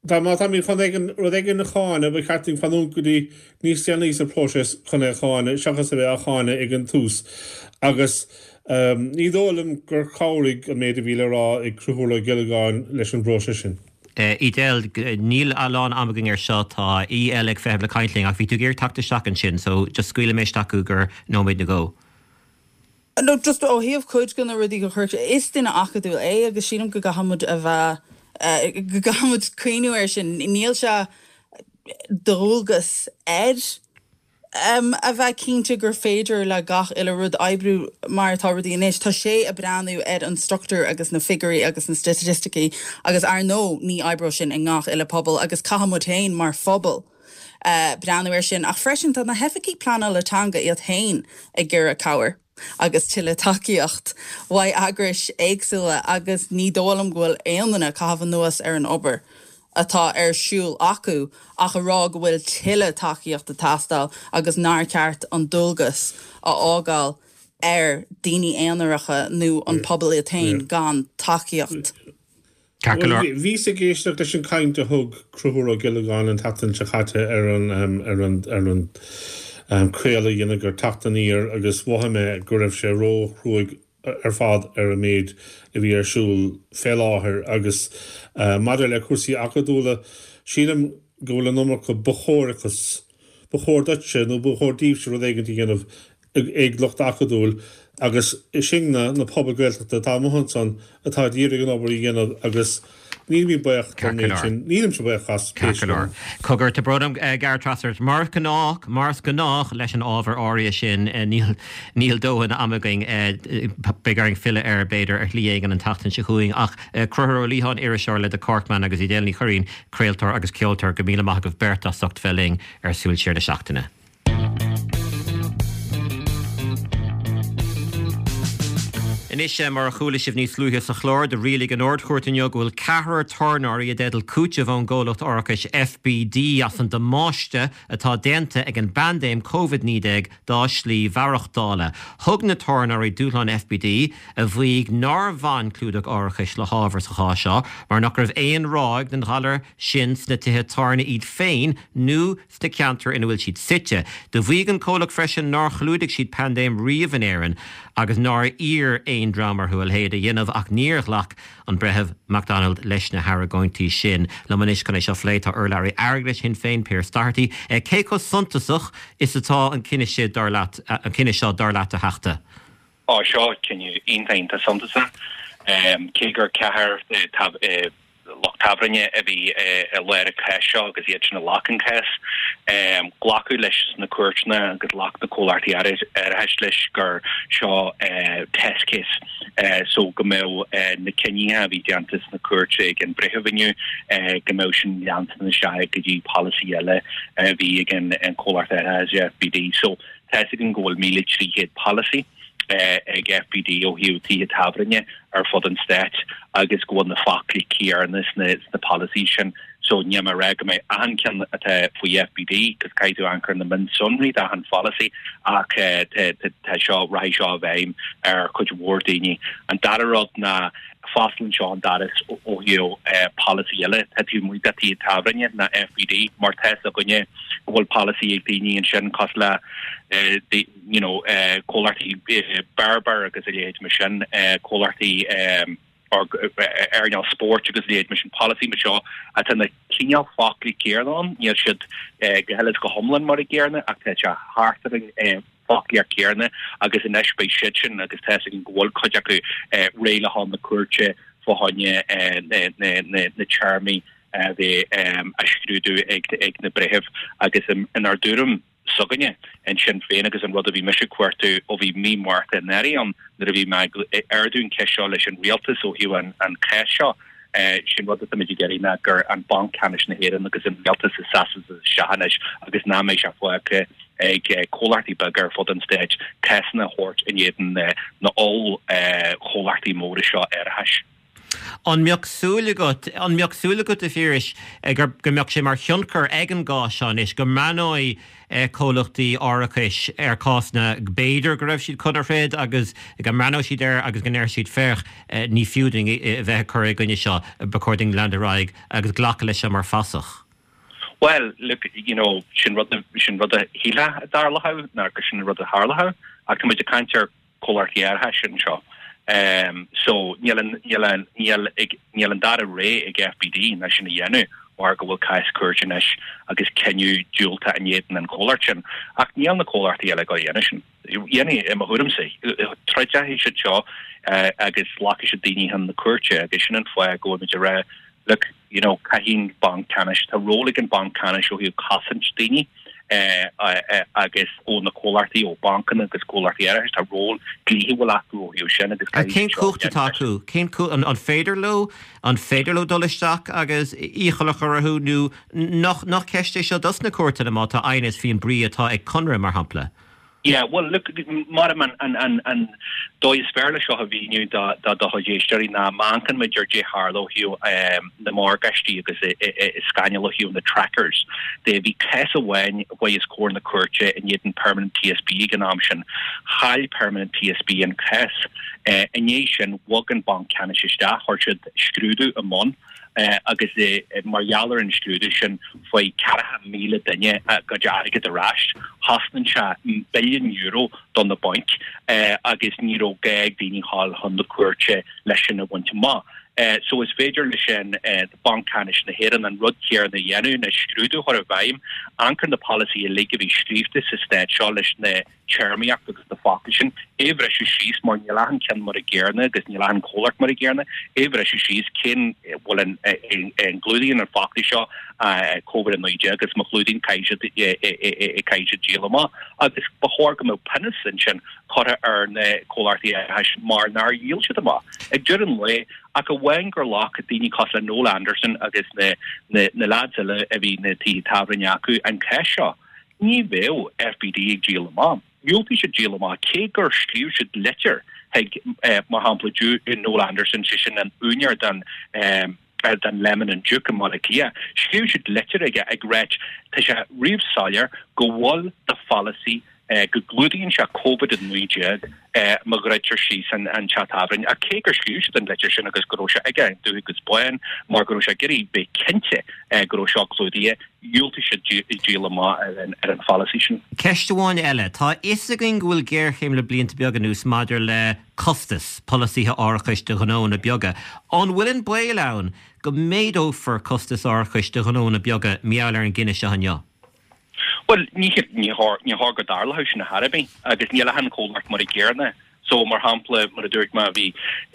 Dá má táimid chun éigin, rud éigin a cháineadh, ba cheart dúinn fanúint go dtí níos déanaí sa phróiseas chun é a cháineadh, seachas a bheith á cháineadh ag an tús. Agus ní dóigh liom gur chabhraigh an méid a bhí le rá ag Conchúr Ó Giollagáin leis an bpróiseas sin. Edel, níl a lán ama againn air seo, tá aoi eile ag feitheamh le caint linn, ach bhí tú ag iarraidh teacht isteach ansin, so just scaoilfidh mé isteach thú go nóiméad nó dhó. No, just ó thaobh cuid de na rudaí a chuir sé, is duine acadúil é agus sílim go gcaithfidh muid a bheith, go gcaithfidh muid cuimhniú air sin. Níl sé de dhualgas air a bheith cinnte gur féidir le gach uile rud oibriú mar atá rudaí anois. Tá sé ag breathnú ar an struchtúr agus na figiúirí agus na staitisticí agus ar ndóigh ní oibreoidh sin i ngach uile pobal agus caithfidh muid féin mar phobal breathnú air sin ach freisin tá na hoifigigh pleanála teanga iad féin ag iarraidh cabhair agus tuilleadh tacaíocht uaidh eagrais éagsúla agus ní dóigh liom go bhfuil aon duine ag caitheamh anuas ar an obair atá ar siúl acu ach a rá go bhfuil tuilleadh tacaíocht ag teastáil agus nár cheart an dualgas a fhágáil ar daoine aonaracha nó an pobal iad féin gan tacaíocht. Ceart go leor. Bhíos ag éisteacht leis an chaint a thug Conchúr Ó Giollagáin an tseachtain seo caite ar an ar an ar an craoladh a dheineadar Teacht Aniar agus mhothaigh mé go raibh sé ró-chruaidh ar fad ar an méid a bhí ar siúl fé láthair agus maidir le cúrsaí acadúla sílim go bhfuil an iomarca ba chóir-achas ba chóir duitse nó ba chóir daoibhse rud éigin a dhéanamh ag lucht acadúil agus sin na na pobail Gaeltachta atá amuigh ansan atá ag iarraidh an obair a dhéanamh agus nílimid buíoch don Ceart go méid leor. sin. Nílimse buíoch as pé Ceart go scéal leor. é. Cogar, tá brón orm gearradh trasna ort. Mar is gnách, mar is gnách leis an ábhar áirithe sin, níl, níl dóthain ama againn. Beidh orainn filleadh air, b'fhéidir, ar shlí éigin an tseachtain seo chugainn. Ach Conchúr Ó Liatháin, iriseoir le The Corkman agus Edel Ní Churraoin, craoltóir agus ceoltóir, go míle maith agaibh beirt as ucht bheith linn ar Súil Siar na Seachtaine. Anois, mar a chuala sibh níos luaithe sa chlár, do rialaigh an Ard-Chúirt inniu go bhfuil ceathrar tábhairneoirí i dteideal cúiteamh ón gcomhlacht árachais FBD as an damáiste atá déanta ag an bpaindéim Covid-19 dá slí mhaireachtála. Thug na tábhairneoirí dúshlán FBD, a mhaígh nár bhain clúdach árachais le hábhar sa chás seo mar nach raibh aon ráig den ghalar sin sna tithe tábhairne iad féin nó sna ceantair ina bhfuil siad suite. Do mhaígh an comhlacht freisin nár chlúdaigh siad paindéim riamh in Éirinn agus nár iarr aon dream orthu a leithéid a dhéanamh ach níor ghlac an Breitheamh McDonald leis na hargóintí sin. Liom anois chun é seo a phlé tá urlabhraí airgeadais Shinn Féin, Pearse Doherty. Cé chomh suntasach is atá an cinneadh seo dar leat, an cinneadh seo dar leat a Theachta? Á, seo cinneadh iontach iontach suntasach. Cé gur ceathrar lucht tábhairne a bhí i lár an cháis seo agus iad sin a ghlac an cás, glacadh leis sna cúirteanna agus ghlac na comhlachtaí árachais leis gur seo test case so go mbeadh na cinntí a bhí déanta sna cúirt ag an bhreitheamh inniu go mbeadh sin leantain isteach go dtí polasaí eile a bhí ag an comhlacht árachais FBD. So Tá's againn go bhfuil 1,300 polasaí ag FBD ó thaobh tithe tábhairne ar fud an stáit agus go bhfuil na foclaí céanna sna polasaí sin. So níl mé ag rá go mbeidh achan ceann atá faoi FBD, cos caithfidh tú amharc ar na mionsonraí d'achan pholasaí ach tá seo, rachaidh seo i bhfeidhm ar chuid mhór daoine. An dara rud ná fosclaíonn seo an doras ó thaobh polasaí eile atá taobh amuigh de tithe tábhairne ná FBD mar tá's againne go bhfuil polasaí ag daoine ansin cosúil le you know comhlachtaí beáir agus a leithéid mar sin, comhlachtaí earnáil spóirt agus a leithéid mar sin, polasaí mar seo atá na cineál foclaí céanna ann, níl siad go huile is go hiomlán mar a gcéanna ach tá sé thart ar an foclaíocht chéanna agus anois beidh siad sin agus tá's againn go bhfuil cuid acu réidh le dhul na cúirte fá choinne na téarmaí a bheith á scrúdú ag na breithimh agus inár dtuairim s'againne ansin féin agus an rud a bhí mise ag cuartú ó bhí mí Márta anuraidh ann nuair a bhí mé ag ardú an cheist seo leis an rialtas ó thaobh an chás seo sin rud atáimid ag iarraidh ná gur an Banc Ceannais na hÉireann agus an rialtas a seasas isteach anois agus nach mbeidh sé fágtha ag comhlachtaí beaga ar fud an stáit cásanna a thabhairt in éadan na oll-chomhlachtaí móra seo árachais. An mbeadh súil agat, an mbeadh súil agat, a Phiarais, go mbeadh sé mar thionchar ag an gcás seo anois, go mbreathnóidh comhlachtaí árachais ar cásanna b'fhéidir go raibh siad chun a throid agus go mbreathnóidh siad air agus go ndéarfaidh siad féach, ní fiú dúinn a bheith ag cur i gcoinne seo, ba chóir dúinn leanúint ar aghaidh agus glacadh leis seo mar phasach. Bhuel, look, you know, sin rud, sin rud a shílfeá a dtarlódh ná gur sin an rud a tharlódh ach tá muid ag caint ar comhlachtaí árachais anseo. So níl an, níl an, níl ag, níl an dara rogha ag FBD ná sin a dhéanamh mar go bhfuil cás cúirte anois agus cinneadh diúltach in éadan an chomhlacht sin. Ach níl na comhlachtaí eile ag dul a dhéanamh sin. Dhéanfaidh, i mo thuairimse, troidfidh siad seo agus glacfaidh siad daoine chun na cúirte agus sin an fáth go bhfuil muid ag rá, look, you know, caithfidh an Banc Ceannais, tá ról ag an Banc Ceannais ó thaobh cosaint daoine agus ó na comhlachtaí, ó bancanna agus comhlachtaí árachais, tá ról dlíthiúil acu ó thaobh sin agus caithfidh Cén cumhacht atá acu? Cén cumhacht, an féidir leo, an féidir leo dul isteach agus iachall a chur orthu nó nach, nach ceist é seo dos na cúirteanna má tá aighneas faoin brí atá ag conradh, mar shampla? Yeah, bhuel, look, mar an, an, an, an dóigh is fearr le seo a mhíniú do, do, do chuid éisteoirí ná má amharcann muid ar caidé tharla ó thaobh na morgáistí agus i scannal ó thaobh na trackers de. Bhí cás amháin a chuaigh os comhair na cúirte in éadan Permanent TSB ag an am sin. Chaill Permanent TSB an cás. I ndiaidh sin, bhog an Banc Ceannais isteach, chuir siad scrúdú i mbun. agus mar gheall ar an scrúdú sin fuair 40,000 duine a gcuid airgid ar ais. Chosnain sé billiún euro do na bainc agus ní raibh gá ag daoine dhul chun na cúirte leis sin a bhaint amach. So is féidir leis an Banc Ceannais na hÉireann an rud céanna a dhéanamh ná scrúdú a chur i bhfeidhm, amharc ar na polasaithe uilig a bhí scríofa sa stát seo leis na téarmaíocht agus na focla sin, é a bhriseadh síos mar níl achan ceann mar a gcéanna agus níl achan chomhlacht mar a gcéanna, é a bhriseadh síos cén bhfuil an an gclúdaíonn an focla seo Covid-19 agus má chlúdaíonn caithfidh siad caithfidh siad díol amach agus ba chóir go mbeadh pionós ansin curtha ar na comhlachtaí árachais mar nár dhíol siad amach. Ag deireadh an lae, ach amháin gur ghlac daoine cosúil le Noel Anderson agus na na lads eile a bhí na tithe tábhairne acu an cás seo. Ní bheadh FBD ag díol amach. Dhiúltaigh siad díol amach, cé gur scríobh siad litir. Chuig, mar shampla, Noel Anderson, sé sin an úinéir den den Lemon and Duke i mBaile Átha Cliath, scríobh siad litir aige ag ráit tá sé ríomh-soiléir go bhfuil do pholasaí go gclúdaíonn sé Covid-19 má dhruidtear síos an teach tábhairne. Ach cé gur scríobh siad an litir sin agus go raibh sé aige dubh agus bán mar go raibh sé ag iarraidh bheith cinnte go raibh seo clúdaithe, dhiúltaigh siad díol amach ar an pholasaí sin. Ceist amháin eile. Tá a fhios againn go bhfuil géarchéim le blianta beaga anuas maidir le costas polasaithe árachais do ghnóanna beaga. An bhfuil an baol ann go méadófar costas árachais do ghnóanna beaga mar gheall ar an gcinneadh seo inniu? Bhuel, ní chóir go dtarlódh sin ar chor ar bith agus níl achan chomhlacht mar a gcéanna. So, mar shampla, mar a dúirt mé, bhí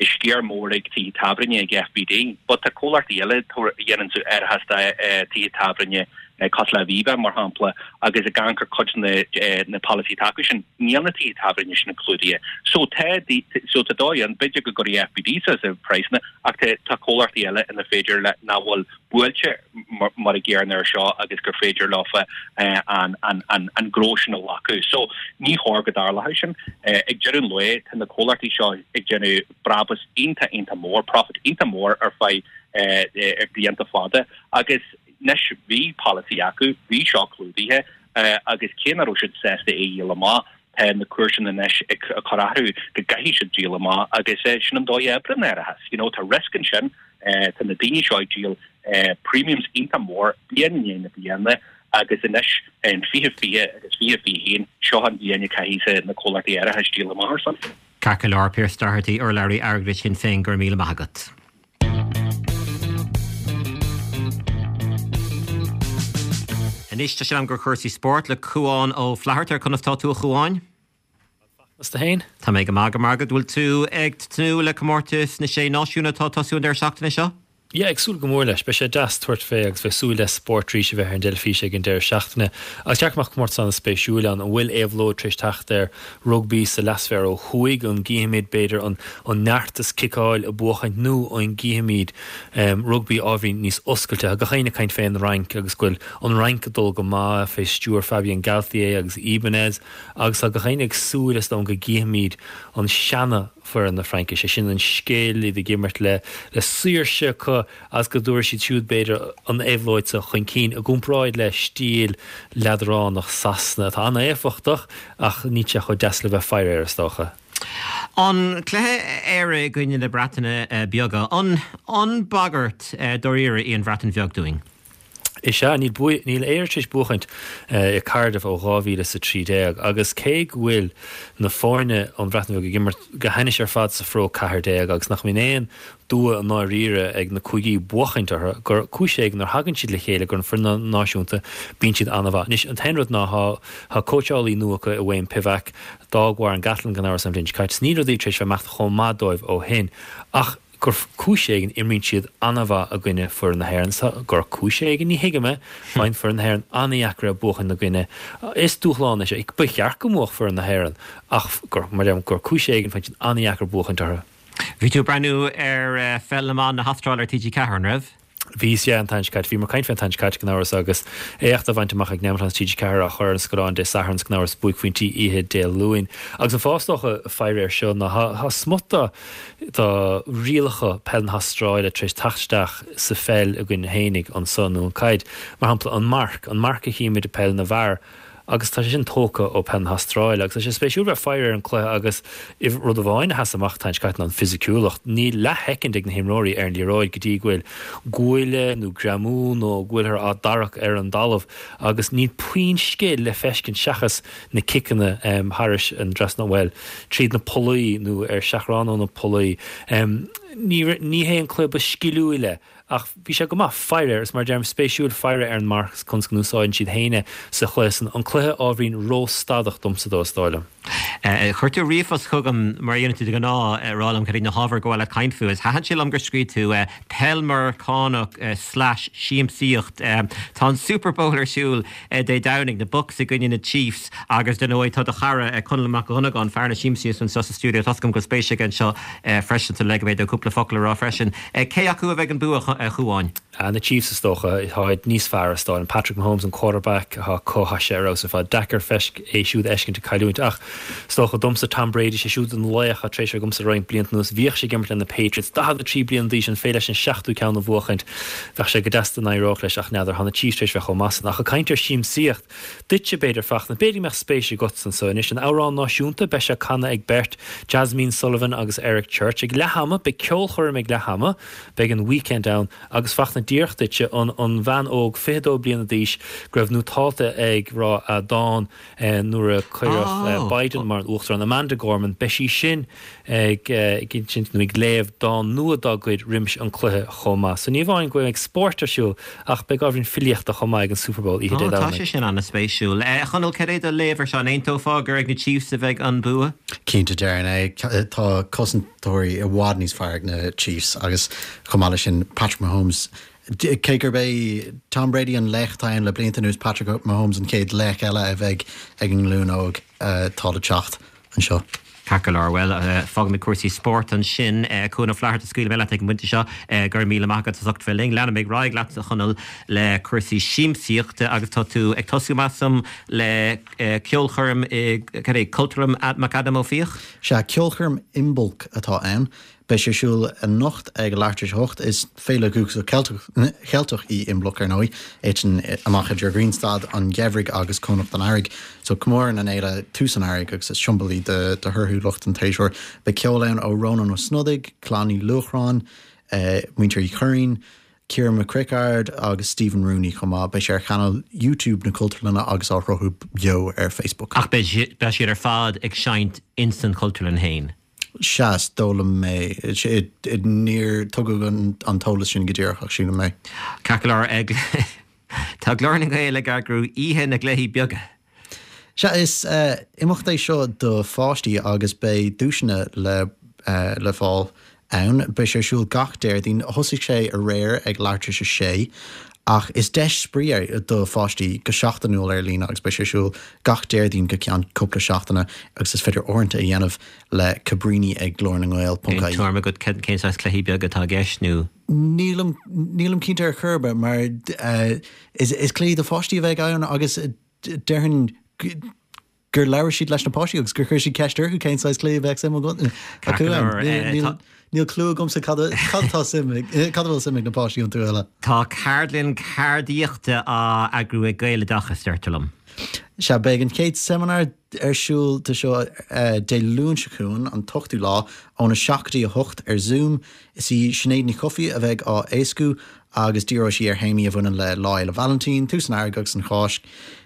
sciar mór ag tithe tábhairne ag FBD, but tá comhlachtaí eile a dhéanann árachas do tithe tábhairne cosúil le Aviva, mar shampla, agus ag amharc ar cuid de na polasaithe atá acu sin, níl na tithe tábhairne sin clúdaithe. So tá, so tá dóigh ann, b'fhéidir go gcuirfidh FBD suas a praghsanna, ach tá tá comhlachtaí eile ina féidir le nach bhfuil buailte mar a gcéanna air seo agus gur féidir leofa an gnó sin a ghlacadh. So, ní chóir go dtarlódh sin. Ag deireadh an lae, tá na comhlachtaí seo ag déanamh brabús iontach, iontach mór, profit iontach mór ar feadh blianta fada agus anois bhí polasaí acu, bhí seo clúdaithe agus cé nach raibh siad sásta é a dhíol amach, tá na cúirteanna anois ag cur orthu go gcaithfidh siad díol amach agus sin an dóigh a oibríonn árachas. You know, tá risk ansin. Tá na daoine seo ag díol premiums iontach mór bliain i ndiaidh na bliana agus anois in 2020 agus 2021 seo an bhliain a caithfidh na comhlachtaí árachais díol amach ar son. Ceart go leor, Pearse Doherty, urlabhraí airgeadais Shinn Féin, go raibh míle maith agat. Anois tá sé in am do chúrsaí spóirt le Cúán Ó Flatharta. Conas tá tú a Chúáin? Agus tú fhéin? Tá mé go maith, go raibh maith agat. Bhfuil tú ag tnúth le comórtas na Sé Náisiún atá ag tosú an deireadh seachtaine seo? Yeah, ag súil go mór leis. Beidh sé deas tabhairt fé agus bheith súil le spórt arís a bheith ar an dteilifís ag an deireadh seachtaine. Agus ceart go mbeadh comórtas an-spéisiúil ann. An bhfuil éabhlóid tar éis teacht ar rugbaí sa leathsféar ó thuaidh? An gcífimid, b'fhéidir, an an neart is ciceáil ag buachaint nó an gcífimid rugbaí ábhairín níos oscailte? Tá gach éinne ag caint fén Fhrainc agus go bhfuil an Fhrainc ag dul go maith fé stiúir Fabien Galthié agus Ibanez. Agus tá gach éinne ag súil, is dóigh, go gcífimid an seana foireann na Fraince, sé sin an scil, iad ag imirt le le saoirse acu agus go dtabharfaidh siad siúd, b'fhéidir, an éabhlóid seo chun cinn i gcomparáid le stíl leadránach Sasana atá an-éifeachtach ach níl sé chomh deas le bheith faire air, is dócha. An cluiche Éire i gcoinne na Breataine Beaga, an an bagairt dáiríre í an Bhreatain Bheag dúinn? Is ea, níl níl Éire tar éis buachaint i Cardiff ó 2013 agus cé go bhfuil na foirne ón Bhreatain Bheag ag imirt go hainnis ar fad sa Phro 14 agus nach mbíonn aon dua i ndáiríre ag na cúigí buachaint orthu, gur cúis éigin nuair a thagann siad le chéile gur an foireann náisiúnta, bíonn siad an-mhaith. Anois, an t-aon rud ná tá tá cóitseálaí nua acu i Wayne Pivac, d'fhág Warren Gatland gan amhras an bhliain seo caite, is níl rudaí tar éis bheith ag imeacht chomh maith dóibh ó shin ach, gur cúis éigin, imríonn siad an-mhaith i gcoinne foireann na hÉireann. Is gur cúis éigin, ní thuigim é, faigheann foireann na hÉireann an-dheacair é buachan ina gcoinne. Is dúshlán é seo. Ba cheart go mbuafadh foireann na hÉireann ach gur, mar a deirim, gur cúis éigin, faigheann siad an-dheacair buachaint orthu. Bhí tú ag breathnú ar Pheil na mBan na hAstráile ar TG4, an raibh? Bhíos, yeah, an tseachtain seo caite. Bhíomar ag caint fé an tseachtain seo caite gan amhras agus éacht á bhaint amach ag Nemeton TG4 á chur ar an scáileán Dé Sathairn 's gan amhras buaicphointí oíche Dé Luain. Agus an fáth is dócha faire air seo ná tá smut de rialacha peil na hAstráile tar éis teacht isteach sa pheil againn fhéinig anso nó an caid. Mar shampla an marc, an marc a chímid i peil na bhfear, agus tá sé sin tógtha ó peil na hAstráile agus tá sé spéisiúil bheith faire ar an cluiche agus rud amháin a sheas amach an tseachtain seo caite ná an fisiciúlacht. Níl leathshoicind ag na himreoirí ar an liathróid go dtí go bhfuil guaille nó greamú nó go bhfuilthear á dtarrac ar an dtalamh agus níl puinn scil le feiscint seachas na ciceanna thairis an dtrasnán, bhuel, tríd na pollaí nó ar seachrán ó na pollaí. Ní hé an cluiche ba sciliúile Ach bhí sé go maith faire air, is mar a deirim, spéisiúil faire ar an marc is conas go n-úsáideann siad féin é sa chluiche san. An cluiche ábhairín ró-stadach domsa dó, is dóigh liom. Chuir tú ríomhphost chugam, mar a dhéanann tú de ghnáth, ag rá liom cad iad na hábhair gur mhaith leat caint fúthu. Is thaitin sé liom gur scríobh tú 'Peil Meiriceánach slash siamsaíocht'. Tá an Super Bowl ar siúl Dé Domhnaigh, na Bucs i gcoinne na Chiefs agus dar ndóigh tá do chara Conall Mac Dhonnagáin, fear na siamsaíochta anseo sa stiúideo. Tá's agam go bhfuil spéis aige anseo freisin so leigfidh mé dó cúpla focal a rá freisin. Cé acu a bheidh an bua, a Chúáin? Na Chiefs is dócha. Táid níos fearr is dóigh liom. Patrick Mahomes an quarterback atá acu, tá sé ar fheabhas ar fad. Deacair feisc é siúd a fheiscint ag cailliúint ach. Is dócha domsa Tom Brady, sé siúd an laoch atá tar éis bheith agamsa roinnt blianta anuas. Bhíodh sé ag imirt le na Patriots, 43 bliain d'aois, an féidir leis an seachtú ceann a bhuachaint? Bheadh sé go deas dá n-éireodh leis ach n'fheadar, tá na Chiefs tar éis bheith chomh maith san. Ach ag caint ar siamsaíocht, duitse b'fhéidir, Fachtna, b'fhéidir go mbeadh spéis agatsa anso anois. An amhrán náisiúnta, beidh sé canadh ag beirt, Jazmine Sullivan agus Eric Church. Ag leath ama, beidh ceolchoirm ag leath ama, beidh an Weeknd ann. Agus Fachtna, díreach duitse, an an bhean óg, 22 bliana d'aois, go raibh nótálta ag rá a dán nuair a cuireadh Biden mar an Uachtarán, Amanda Gorman, beidh sí sin ag insint nó ag léamh dán nua dá gcuid roimis an cluiche chomh maith. So ní amháin go mbeidh spórt ar siúl ach beidh ábhairín filíochta chomh maith ag an Super Bowl oíche Dé Tá Domhnaigh. sé sin an-spéisiúil. A Chonaill, cad é do léamh ar seo? An aontófá gur ag na Chiefs a bheidh an bua? Cinnte, déarfainn é. Tá cosantóirí i bhfad níos fearr ag na Chiefs agus chomh maith leis sin Patrick Mahomes Cé gurb é Tom Brady an laoch atá ann le blianta anuas, Patrick Mahomes an chéad laoch eile a bheidh ag an nglúin óg atá le teacht anseo. Ceart go leor, bhuel, fágfaimid cúrsaí spóirt ansin. Cuan Ó Flatharta, scaoilfidh mé leat ag an bpointe seo. Go raibh míle maith agat as ucht bheith linn. Leanfaimid ar aghaidh leat, a Chonaill, le cúrsaí siamsaíochta agus tá tú ag tosú, measaim, le ceolchoirm i, cad é, Cultúrlann McAdam Ó Fiaich? Sea, ceolchoirm Imbolc atá ann. Beidh sé ar siúl anocht ag leathuair tar éis a hocht. Is féile dhúchasach Cheilteach í Imbolc, ar ndóigh, a thiteann amach idir ghrianstad an gheimhridh agus cónocht an earraigh. So comórann an fhéile tús an earraigh agus is siombail í de thorthúlacht an tséasúir. Beidh ceol ann ó Rónán Ó Snodaigh, Clann Uí Luachráin, Muintir Uí Churraoin, Ciara McCrickard agus Stephen Rooney chomh maith. Beidh sé ar chainéal YouTube na Cultúrlainne agus á shruthú beo ar Facebook. Ach beidh siad ar fad ag seinnt ins an Chultúrlann féin? Sea, is dóigh liom é. Níor tugadh an t-eolas sin go díreach ach sílim é. Ceart go leor, tá Glór na nGael ag eagrú Oíche na gCluichí Beaga. Sea, is imeacht é seo do pháistí agus beidh duaiseanna le fáil ann. Beidh sé ar siúl gach Déardaoin. Thosaigh sé aréir ag leathuair tar éis a sé ach is deis spraoi é do pháistí go seachtainiúil ar líne agus beidh sé ar siúl gach Déardaoin go ceann cúpla seachtaine agus is féidir áirithint a dhéanamh le Cabríní ag Glór na nGael ponc Aon tuairim agat cén saghas cluichí beaga atá i gceist nó? Nílim, nílim cinnte ar chor ar bith mar is cluichí do pháistí a bheidh ann agus déarfainn gur labhair siad leis na páistí agus gur chuir siad ceist orthu cén saghas cluiche a bheadh suim acu ann. Níl clue agamsa cad atá suim ag, cad a bhfuil suim ag na páistí iontu uile. Tá ceardlann ceardaíochta á eagrú ag Gaeloideachas, deirtear liom. Sea, beidh an chéad seimineár ar siúl de seo Dé Luain seo chugainn, an t-ochtú lá, óna 7 go dtí 8 ar Zoom. Is í Sinéad Ní Chofaigh a bheidh á éascú agus díreoidh sí ar théamaí a bhaineann le Lá Fhéile Vailintín, tús an Earraigh agus an Cháisc.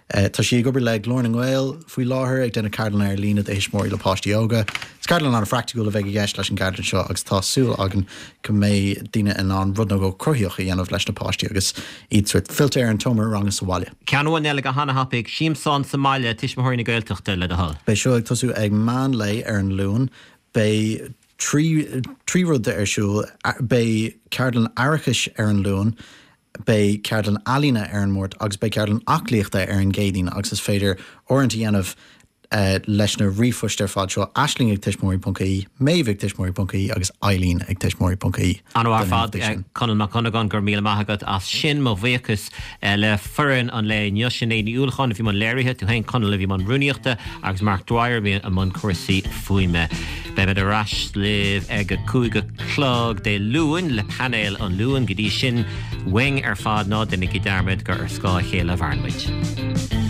Tá sí ag obair le Glór na nGael faoi láthair, ag déanamh ceardlanna ar líne do thuismitheoirí le páistí óga. Is ceardlann an-phraiticiúil a bheidh i gceist leis an gceardlann seo agus tá súil againn go mbeidh daoine in ann rud nó dhó cruthaíoch a dhéanamh leis na páistí agus iad sórt fillte ar an tseomra ranga sa bhaile. Ceann amháin eile go hana-thapaidh, Siamsán sa mbaile, Tuismitheoirí na Gaeltachta, le do thoil. Beidh seo ag tosú ag meán lae ar an Luan. Beidh 3 rud ar siúl, beidh ceardlann aireachais ar an Luan, beidh ceardlann ealaíne ar an Máirt agus beidh ceardlann aclaíochta ar an gCéadaoin agus is féidir áirithint a dhéanamh leis na ríomhphoist ar fad seo, Aisling ag tuismitheoirí ponc ie, Méabh ag tuismitheoirí ponc ie agus Eileen ag tuismitheoirí ponc ie. An-mhaith ar fad, Conall Mac Dhonnagáin, go raibh míle maith agat as sin. Mo bhuíochas le foireann an lae inniu, Sinéad Ní Uallacháin a bhí i mbun léirithe, tú féin Conall a bhí i mbun rúnaíochta agus Mark Dwyer a bhí i mbun cúrsaí fuaime. Beimid ar ais libh ag a 5 a chlog Dé Luain le painéal an Luain. Go dtí sin, uainn ar fad, ná déanaigí dearmad gur ar scáth a chéile a mhaireann muid.